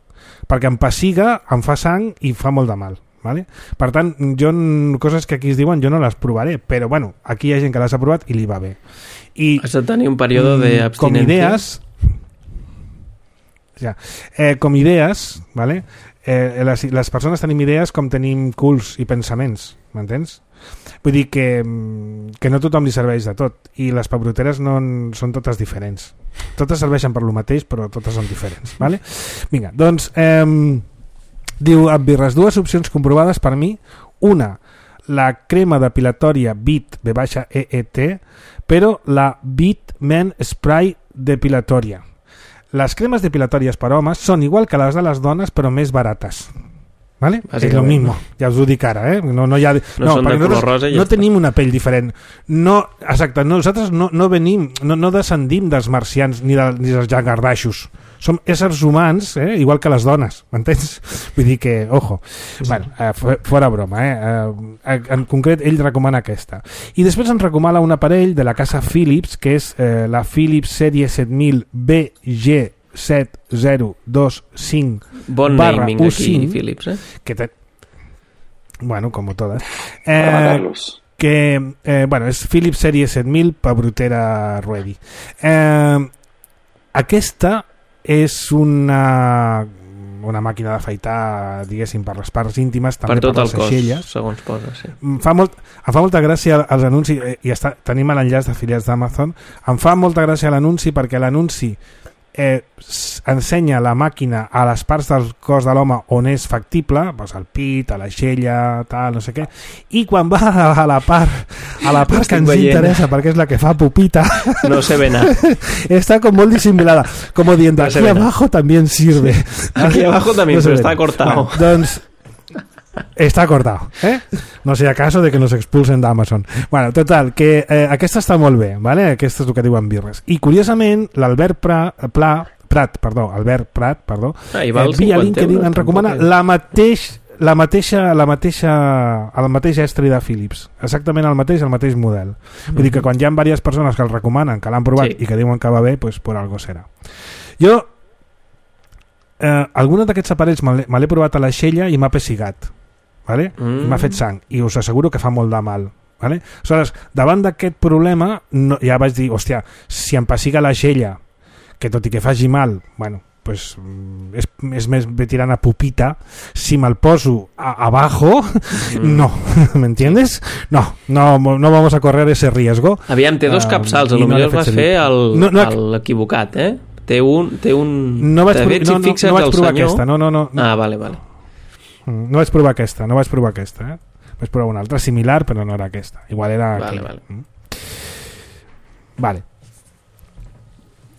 [SPEAKER 2] perquè em pessiga, em fa sang i fa molt de mal. Vale? Per tant, jo, coses que aquí es diuen, jo no les provaré, però bueno, aquí hi ha gent que les ha provat i li va bé. I,
[SPEAKER 4] has de tenir un període d'abstinència.
[SPEAKER 2] Com idees, ja, eh, com idees, vale? Eh, les, les persones tenim idees com tenim culs i pensaments, m'entens? Vull dir que, que no tothom li serveix de tot, i les pebroteres no en, són totes diferents. Totes serveixen per lo mateix, però totes són diferents, vale? Vinga, doncs eh, diu Birres, dues opcions comprovades per mi. Una, la crema depilatòria Beat B E E T, però la Beat Men Spray depilatòria. Les cremes depilatòries per homes són igual que les de les dones, però més barates. ¿Vale? És lo mismo, ja us ho dic ara, eh? No, no, hi ha...
[SPEAKER 4] no, no són de color rosa i ja
[SPEAKER 2] no
[SPEAKER 4] està.
[SPEAKER 2] Tenim una pell diferent. No, exacte, nosaltres no, no venim, no, no descendim dels marcians ni, de, ni dels llangardaixos. Som éssers humans, eh? Igual que les dones, m'entens? Vull dir que, ojo, bueno, eh, fora broma, eh? eh? En concret, ell recomana aquesta. I després ens recomana un aparell de la casa Philips, que és eh, la Philips sèrie set mil B G set zero dos cinc
[SPEAKER 4] bon
[SPEAKER 2] barra
[SPEAKER 4] naming
[SPEAKER 2] U
[SPEAKER 4] aquí,
[SPEAKER 2] cinc,
[SPEAKER 4] Philips, eh?
[SPEAKER 2] que te... bueno, como todas, eh, que eh, bueno, és Philips sèrie set mil pebrotera ready. Eh, aquesta és una una màquina d'afaitar, diguéssim, per les parts íntimes, també
[SPEAKER 4] per tot
[SPEAKER 2] per
[SPEAKER 4] el
[SPEAKER 2] les aixelles.
[SPEAKER 4] cos, segons posa, sí.
[SPEAKER 2] Em fa, molt, em fa molta gràcia els anuncis, i està, tenim l'enllaç d'afiliats d'Amazon, em fa molta gràcia l'anunci perquè l'anunci eh, ensenya la màquina a les parts del cos de l'home on és factible, doncs al pit, a l'aixella, tal, no sé què, i quan va a la part a la part que ens veient. interessa, perquè és la que fa pupita,
[SPEAKER 4] no se ve nada.
[SPEAKER 2] Está como muy disimulada, como diciendo, no aquí abajo nada. También sirve.
[SPEAKER 4] Aquí abajo también, no pero está cortado.
[SPEAKER 2] Bueno, doncs, està cortado, eh? No sé, acaso de que nos expulsen d'Amazon. Bueno, total, que eh, aquesta està molt bé, ¿vale? Aquesta és el que diuen Birres. I curiosament, l'Albert Pla, Pla, Prat, perdó, Albert Prat, perdó,
[SPEAKER 4] ah, i val
[SPEAKER 2] eh, via LinkedIn ens recomana la mateix la mateixa, la mateixa, el mateix estri de Philips, exactament el mateix, el mateix model. Mm-hmm. Vull dir que quan hi ha diverses persones que el recomanen, que l'han provat sí. i que diuen que va bé, pues por algo serà. Jo, eh, alguns d'aquests aparells me l'he provat a l'aixella i m'ha pessigat, vale? Mm. I m'ha fet sang, i us asseguro que fa molt de mal. Vale? Aleshores, davant d'aquest problema, no, ja vaig dir, hòstia, si em pessiga l'aixella, que tot i que faci mal, bueno, pues és, és més bé tirant a pupita, si me'l poso a, abajo, mm. no, ¿me entiendes? No, no, no vamos a correr ese riesgo.
[SPEAKER 4] Aviam, té dos capçals, uh, a lo millor no vas fer el, no, no, l'equivocat, eh? Té un... Té un...
[SPEAKER 2] No vaig, pro, no, no, no vaig provar senyor. Aquesta, no, no, no.
[SPEAKER 4] Ah, vale, vale.
[SPEAKER 2] Mm, no vaig provar aquesta, no vaig provar aquesta, eh? Vaig provar una altra similar, però no era aquesta. Igual era
[SPEAKER 4] vale,
[SPEAKER 2] aquella.
[SPEAKER 4] Vale.
[SPEAKER 2] Mm. Vale.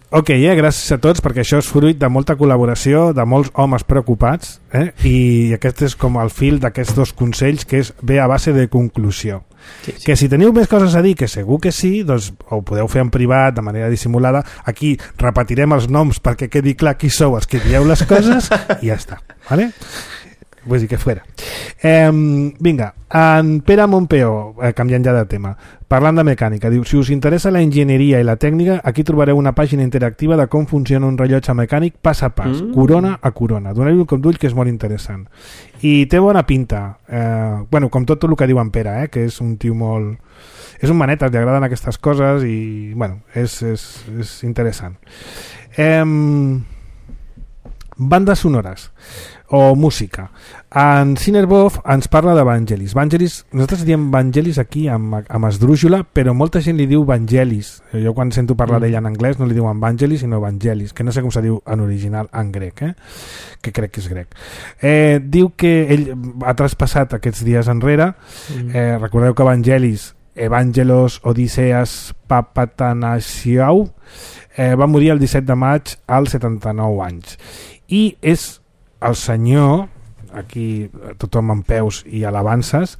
[SPEAKER 2] Ok, eh? Gràcies a tots, perquè això és fruit de molta col·laboració, de molts homes preocupats, eh? I aquest és com el fil d'aquests dos consells, que és ve a base de conclusió. Sí, sí. Que si teniu més coses a dir, que segur que sí, doncs ho podeu fer en privat, de manera dissimulada. Aquí repetirem els noms perquè quedi clar qui sou els que dieu les coses i ja està, vale? Vull dir que fuera. Eh, vinga, en Pere Montpeó, eh, canviant ja de tema, parlant de mecànica, diu, si us interessa la enginyeria i la tècnica, aquí trobareu una pàgina interactiva de com funciona un rellotge mecànic pas a pas, mm. corona a corona. Doneu-hi un cop d'ull, que és molt interessant. I té bona pinta. Eh, bueno, com tot el que diu en Pere, eh, que és un tio molt... És un manetes, li agraden aquestes coses i, bueno, és, és, és interessant. Eh, bandes sonores o música. En Cinerbov ens parla de Vangelis. Vangelis, nosaltres diem Vangelis aquí amb, amb esdrújula, però molta gent li diu Vangelis. Jo quan sento parlar mm. d'ella en anglès no li diuen Vangelis sinó Vangelis, que no sé com se diu en original en grec, eh? Que crec que és grec. Eh, diu que ell ha traspassat aquests dies enrere. Mm. Eh, recordeu que Vangelis, Evangelos Odiseas Papatanasiou, eh, va morir el disset de maig als setanta-nou anys. I és el senyor, aquí tothom en peus i alabances,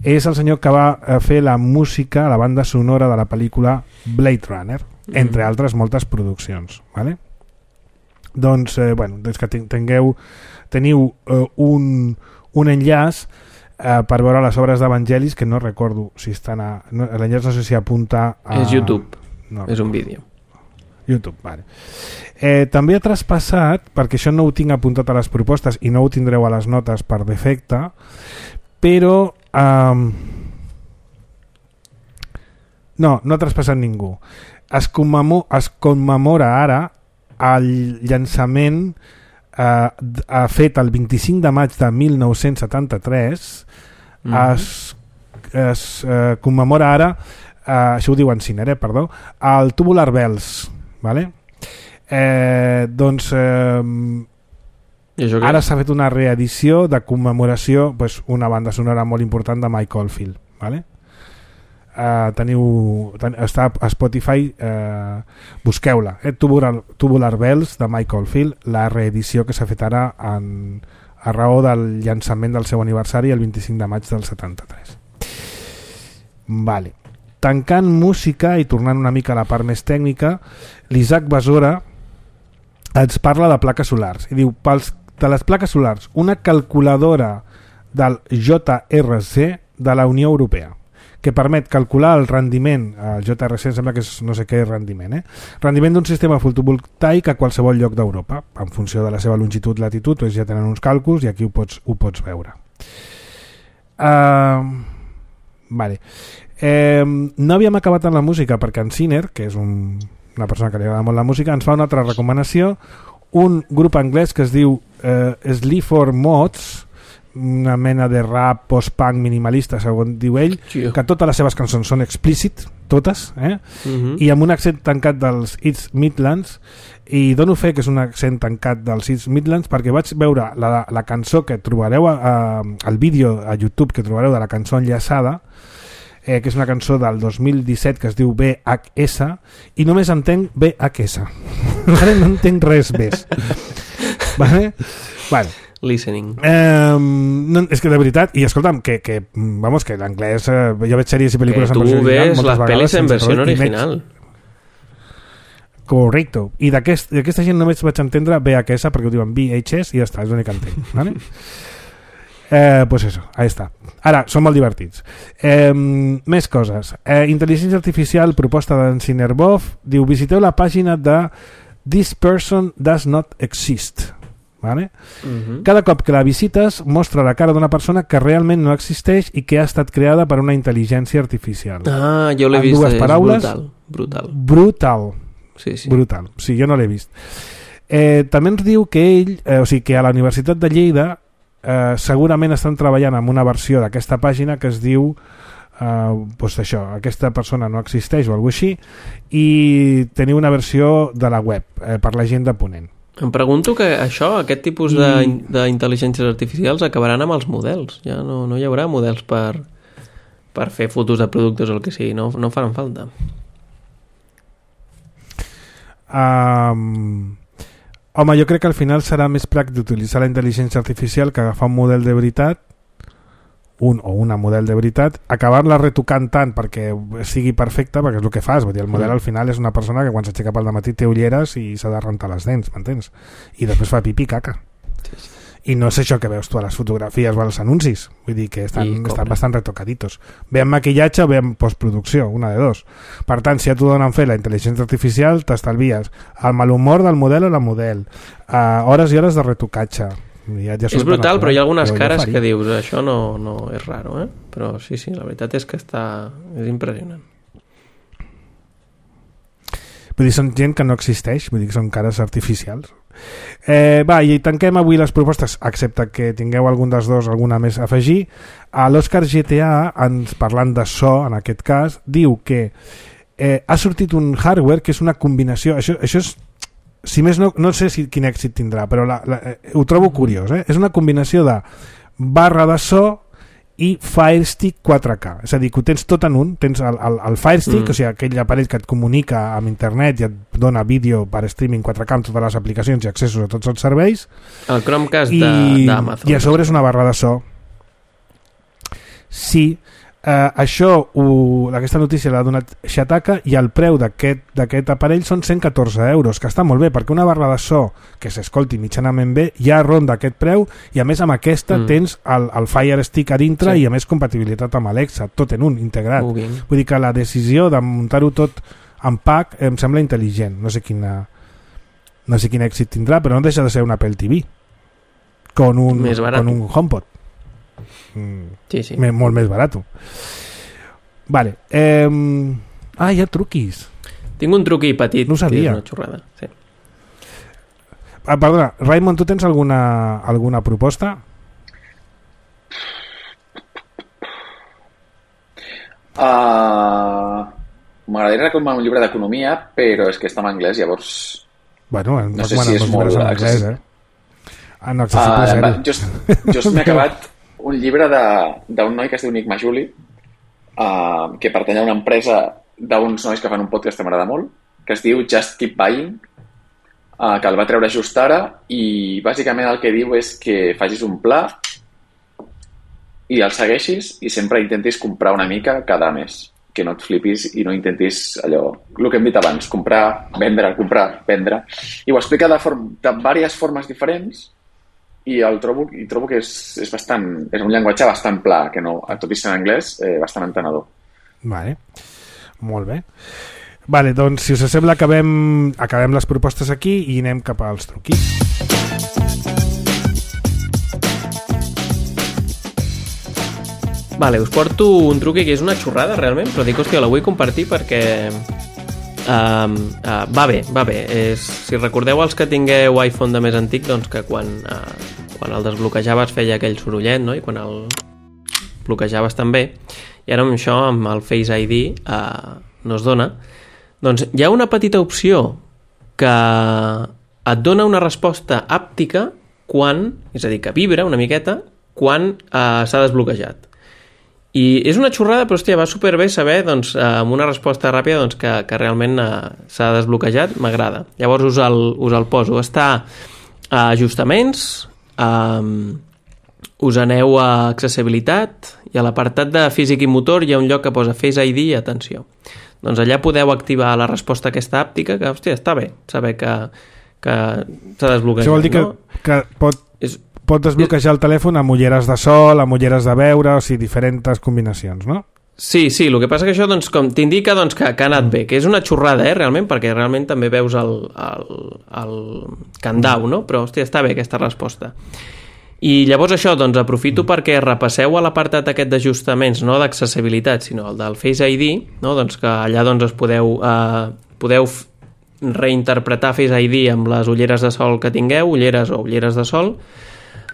[SPEAKER 2] és el senyor que va fer la música, la banda sonora de la pel·lícula Blade Runner, mm. entre altres moltes produccions, vale? Doncs, eh, bueno, doncs que tingueu, teniu eh, un, un enllaç eh, per veure les obres d'Evangelis, que no recordo si estan a... No, l'enllaç no sé si apunta a...
[SPEAKER 4] És YouTube, no, és un vídeo.
[SPEAKER 2] YouTube, vale. Eh, també ha traspassat, perquè això no ho tinc apuntat a les propostes i no ho tindreu a les notes per defecte, però um, no, no ha traspassat ningú. Es, commemo, es commemora ara el llançament eh, fet el vint-i-cinc de maig de mil nou-cents setanta-tres. Mm-hmm. es, es eh, commemora ara, eh, això ho diu en Ciner, eh, perdó, el Tubular Bells, vale? Eh, doncs eh, ara s'ha fet una reedició de commemoració, pues, una banda sonora molt important de Mike Oldfield, vale? Eh, teniu ten, està a Spotify, eh, busqueu-la, eh? Tubular, Tubular Bells de Mike Oldfield, la reedició que s'ha fet ara en, a raó del llançament del seu aniversari el vint-i-cinc de maig del setanta-tres. Vale. Tancant música i tornant una mica a la part més tècnica, l'Isaac Besora ens parla de plaques solars i diu, pels, de les plaques solars, una calculadora del J R C de la Unió Europea que permet calcular el rendiment, el J R C sembla que és no sé què rendiment, eh? rendiment d'un sistema fotovoltaic a qualsevol lloc d'Europa, en funció de la seva longitud, latitud, doncs ja tenen uns càlculs i aquí ho pots, ho pots veure. Uh, vale. Eh, no havíem acabat en la música perquè en Ciner, que és un una persona que li agrada molt la música, ens fa una altra recomanació, un grup anglès que es diu eh, Sleaford Mods, una mena de rap post-punk minimalista, segons diu ell, sí. Que totes les seves cançons són explícit, totes, eh? Uh-huh. I amb un accent tancat dels East Midlands, i dono fe que és un accent tancat dels East Midlands perquè vaig veure la, la cançó que trobareu a, a, al vídeo a YouTube que trobareu de la cançó enllaçada, Eh, que és una cançó del dos mil disset que es diu V H S i només entenc V H S vale? No entenc res més vale? Vale.
[SPEAKER 4] Listening
[SPEAKER 2] eh, no, és que de veritat, i escolta'm que, que, vamos, que l'anglès eh, jo veig sèries i pel·lícules
[SPEAKER 4] en versió original tu ves les pel·lis en versió original
[SPEAKER 2] correcte, i d'aquesta gent només vaig entendre V H S perquè ho diuen V H S i ja està, és l'únic que entenc vale? Eh, pues eso, ahí està. Ara, són molt divertits. Eh, més coses. Eh, intel·ligència artificial, proposta d'en Cinerbov, diu, visiteu la pàgina de This Person Does Not Exist. Vale? Uh-huh. Cada cop que la visites mostra la cara d'una persona que realment no existeix i que ha estat creada per una intel·ligència artificial.
[SPEAKER 4] Ah, jo l'he
[SPEAKER 2] en
[SPEAKER 4] vist,
[SPEAKER 2] dues
[SPEAKER 4] és
[SPEAKER 2] paraules,
[SPEAKER 4] brutal. Brutal.
[SPEAKER 2] Brutal.
[SPEAKER 4] Sí, sí.
[SPEAKER 2] Brutal. Sí, jo no l'he vist. Eh, també ens diu que ell, eh, o sigui, que a la Universitat de Lleida Eh, segurament estan treballant amb una versió d'aquesta pàgina que es diu eh, pues això, aquesta persona no existeix o alguna així, i teniu una versió de la web eh, per la gent de Ponent.
[SPEAKER 4] Em pregunto que això, aquest tipus I... d'intel·ligències artificials acabaran amb els models. Ja no, no hi haurà models per, per fer fotos de productes o el que sigui. No, no faran falta.
[SPEAKER 2] Um... Home, jo crec que al final serà més pràctic d'utilitzar la intel·ligència artificial que agafar un model de veritat, un o una model de veritat, acabar-la retocant tant perquè sigui perfecta, perquè és el que fas. Vull dir, el model al final és una persona que quan s'aixeca pel dematí té ulleres i s'ha de rentar les dents, m'entens? I després fa pipí caca. Sí, sí. I no és això que veus tu a les fotografies o als anuncis. Vull dir que estan, estan bastant retocaditos. Ve amb maquillatge o ve amb postproducció, una de dos. Per tant, si ja t'ho donen fer la intel·ligència artificial, t'estalvies el malhumor del model o la model, uh, hores i hores de retocatge. Ja, ja
[SPEAKER 4] és brutal, però hi ha algunes cares que dius això no, no és raro, eh? Però sí, sí, la veritat és que està... és impressionant.
[SPEAKER 2] Vull dir, són gent que no existeix, vull dir que són cares artificials. Eh, va, i tanquem avui les propostes, excepte que tingueu algun dels dos alguna més a afegir. A l'Òscar G T A, ens, parlant de so en aquest cas, diu que eh, ha sortit un hardware que és una combinació, això, això és, si més no, no sé si, quin èxit tindrà, però la, la, eh, ho trobo curiós, eh? És una combinació de barra de so i Fire Stick quatre K, és a dir, que ho tens tot en un, tens el, el, el Fire Stick, mm. o sigui, aquell aparell que et comunica amb internet i et dona vídeo per streaming quatre K amb totes les aplicacions i accessos a tots els serveis,
[SPEAKER 4] el Chromecast
[SPEAKER 2] i,
[SPEAKER 4] d'Amazon
[SPEAKER 2] i a sobre és una barra de so. Sí, eh, això ho, aquesta notícia l'ha donat Shataka i el preu d'aquest d'aquest aparell són cent catorze euros, que està molt bé perquè una barra de so que s'escolti mitjanament bé ja ronda aquest preu, i a més amb aquesta mm. tens el, el Fire Stick a dintre, sí. I a més compatibilitat amb Alexa, tot en un, integrat. Uh, vull dir que la decisió de muntar-ho tot en pack em sembla intel·ligent. No sé quina no sé quin èxit tindrà, però no deixa de ser un Apple T V con un, con un HomePod. Mm,
[SPEAKER 4] sí, sí.
[SPEAKER 2] Me, molt més barat. Vale. Eh, ah, hi ha truquis.
[SPEAKER 4] Tinc un truqui petit,
[SPEAKER 2] no sabia.
[SPEAKER 4] Que és una xorrada. Sí.
[SPEAKER 2] Ah, perdona, Raimon, tu tens alguna, alguna proposta?
[SPEAKER 3] Uh, M'agradaria recomanar un llibre d'economia, però és que està en anglès, llavors...
[SPEAKER 2] Bueno,
[SPEAKER 3] no sé si és molt...
[SPEAKER 2] En anglès, eh? Ah, no, accessible uh, zero.
[SPEAKER 3] Just, just m'he acabat un llibre d'un noi que es diu Nick Majuli, uh, que pertany a una empresa d'uns nois que fan un podcast que m'agrada molt, que es diu Just Keep Buying, uh, que el va treure just ara, i bàsicament el que diu és que facis un pla i el segueixis i sempre intentis comprar una mica cada mes, que no et flipis i no intentis allò, el que hem dit abans, comprar, vendre, comprar, vendre, i ho explica de, form, de diverses formes diferents, i el trobo, i trobo que és, és bastant, és un llenguatge bastant pla, que no, tot i ser en anglès, eh, bastant entenedor.
[SPEAKER 2] Vale, molt bé. Vale, doncs si us sembla acabem, acabem les propostes aquí i anem cap als truquis.
[SPEAKER 4] Vale, us porto un truqui que és una xorrada realment, però dic, hòstia, la vull compartir perquè Um, uh, va bé, va bé. És, si recordeu els que tingueu iPhone de més antic, doncs que quan, uh, quan el desbloquejaves feia aquell sorollet, no? I quan el bloquejaves també, i ara amb això, amb el Face I D, uh, no es dona. Doncs hi ha una petita opció que et dona una resposta àptica quan, és a dir, que vibra una miqueta quan uh, s'ha desbloquejat. I és una xorrada, però hòstia, va superbé saber, doncs, eh, amb una resposta ràpida, doncs, que, que realment eh, s'ha desbloquejat, m'agrada. Llavors us el, us el poso. Està a ajustaments, eh, us aneu a accessibilitat, i a l'apartat de físic i motor hi ha un lloc que posa Face I D i atenció. Doncs allà podeu activar la resposta aquesta àptica, que, hòstia, està bé saber que, que s'ha desbloquejat.
[SPEAKER 2] Això vol dir que,
[SPEAKER 4] no?
[SPEAKER 2] que pot... És... pot desbloquejar el telèfon amb ulleres de sol, amb ulleres de veure, o sigui, diferents combinacions, no?
[SPEAKER 4] Sí, sí, el que passa que això doncs, com t'indica doncs, que, que ha anat bé, que és una xorrada, eh, realment, perquè realment també veus el, el, el candau, no? Però, hòstia, està bé aquesta resposta. I llavors això, doncs, aprofito perquè repasseu a l'apartat aquest d'ajustaments, no d'accessibilitat, sinó el del Face I D, no? Doncs que allà doncs, es podeu, eh, podeu reinterpretar Face I D amb les ulleres de sol que tingueu, ulleres o ulleres de sol,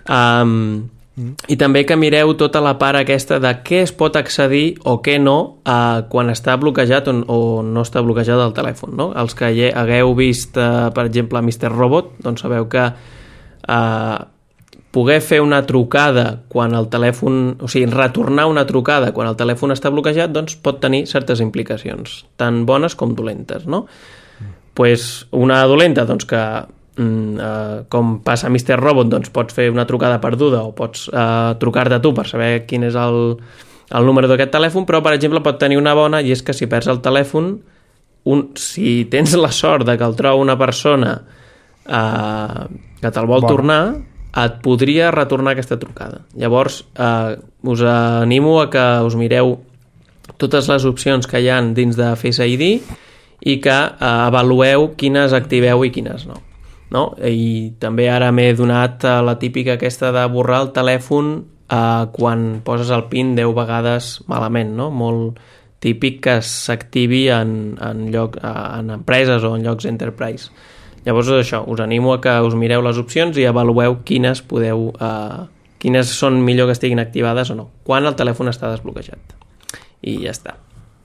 [SPEAKER 4] Um, Mm. I també que mireu tota la part aquesta de què es pot accedir o què no eh, quan està bloquejat o, o no està bloquejat el telèfon, no? Els que hagueu vist, eh, per exemple, mister Robot, doncs sabeu que eh, poder fer una trucada quan el telèfon, o sigui, retornar una trucada quan el telèfon està bloquejat, doncs pot tenir certes implicacions, tant bones com dolentes, no? Mm. Pues una dolenta, doncs que Mm, uh, com passa a mister Robot, doncs pots fer una trucada perduda o pots uh, trucar-te tu per saber quin és el, el número d'aquest telèfon, però per exemple pot tenir una bona, i és que si perds el telèfon, un, si tens la sort de que el troba una persona uh, que te'l vol bona. tornar, et podria retornar aquesta trucada. Llavors uh, us animo a que us mireu totes les opcions que hi ha dins de Face I D i que uh, avalueu quines activeu i quines no. No? I també ara m'he donat a la típica aquesta de borrar el telèfon eh, quan poses el PIN deu vegades malament, no? Molt típic que s'activi en, en, lloc, en empreses o en llocs enterprise. Llavors això, us animo a que us mireu les opcions i avalueu quines podeu eh, quines són millor que estiguin activades o no, quan el telèfon està desbloquejat. I ja està.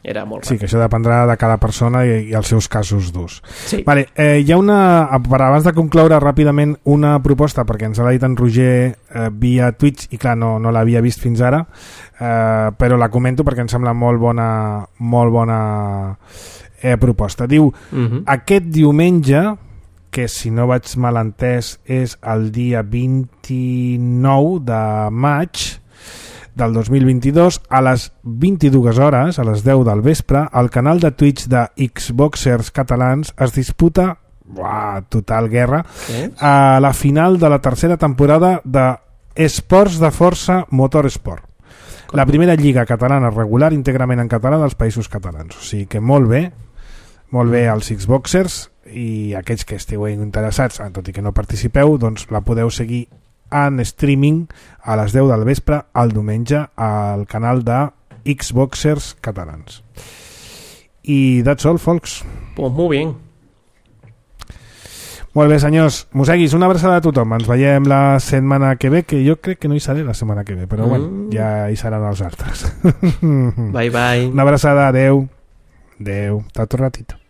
[SPEAKER 4] Era molt ràpid.
[SPEAKER 2] Sí, que això dependrà de cada persona i, i els seus casos d'ús.
[SPEAKER 4] Sí.
[SPEAKER 2] Vale, eh, hi ha una, per abans de concloure ràpidament, una proposta, perquè ens l'ha dit en Roger eh, via Twitch, i clar, no, no l'havia vist fins ara, eh, però la comento perquè em sembla molt bona, molt bona eh, proposta. Diu, uh-huh. aquest diumenge, que si no vaig mal entès és el dia vint-i-nou de maig del dos mil vint-i-dos, a les vint-i-dues hores, a les deu del vespre, al canal de Twitch de Xboxers catalans es disputa, uah, total guerra, a la final de la tercera temporada de Esports de Força Motorsport. La primera lliga catalana regular íntegrament en català dels països catalans. O sigui que molt bé, molt bé als Xboxers, i aquells que esteu interessats, tot i que no participeu, doncs la podeu seguir en streaming a les deu del vespre el diumenge al canal de Xboxers catalans. I that's all, folks.
[SPEAKER 4] Pues muy bien.
[SPEAKER 2] Molt bé, senyors. Moseguis, una abraçada a tothom. Ens veiem la setmana que ve, que jo crec que no hi seré la setmana que ve, però mm. bueno, ja hi seran els altres.
[SPEAKER 4] Bye, bye.
[SPEAKER 2] Una abraçada, adeu. Adeu. Tot un ratito.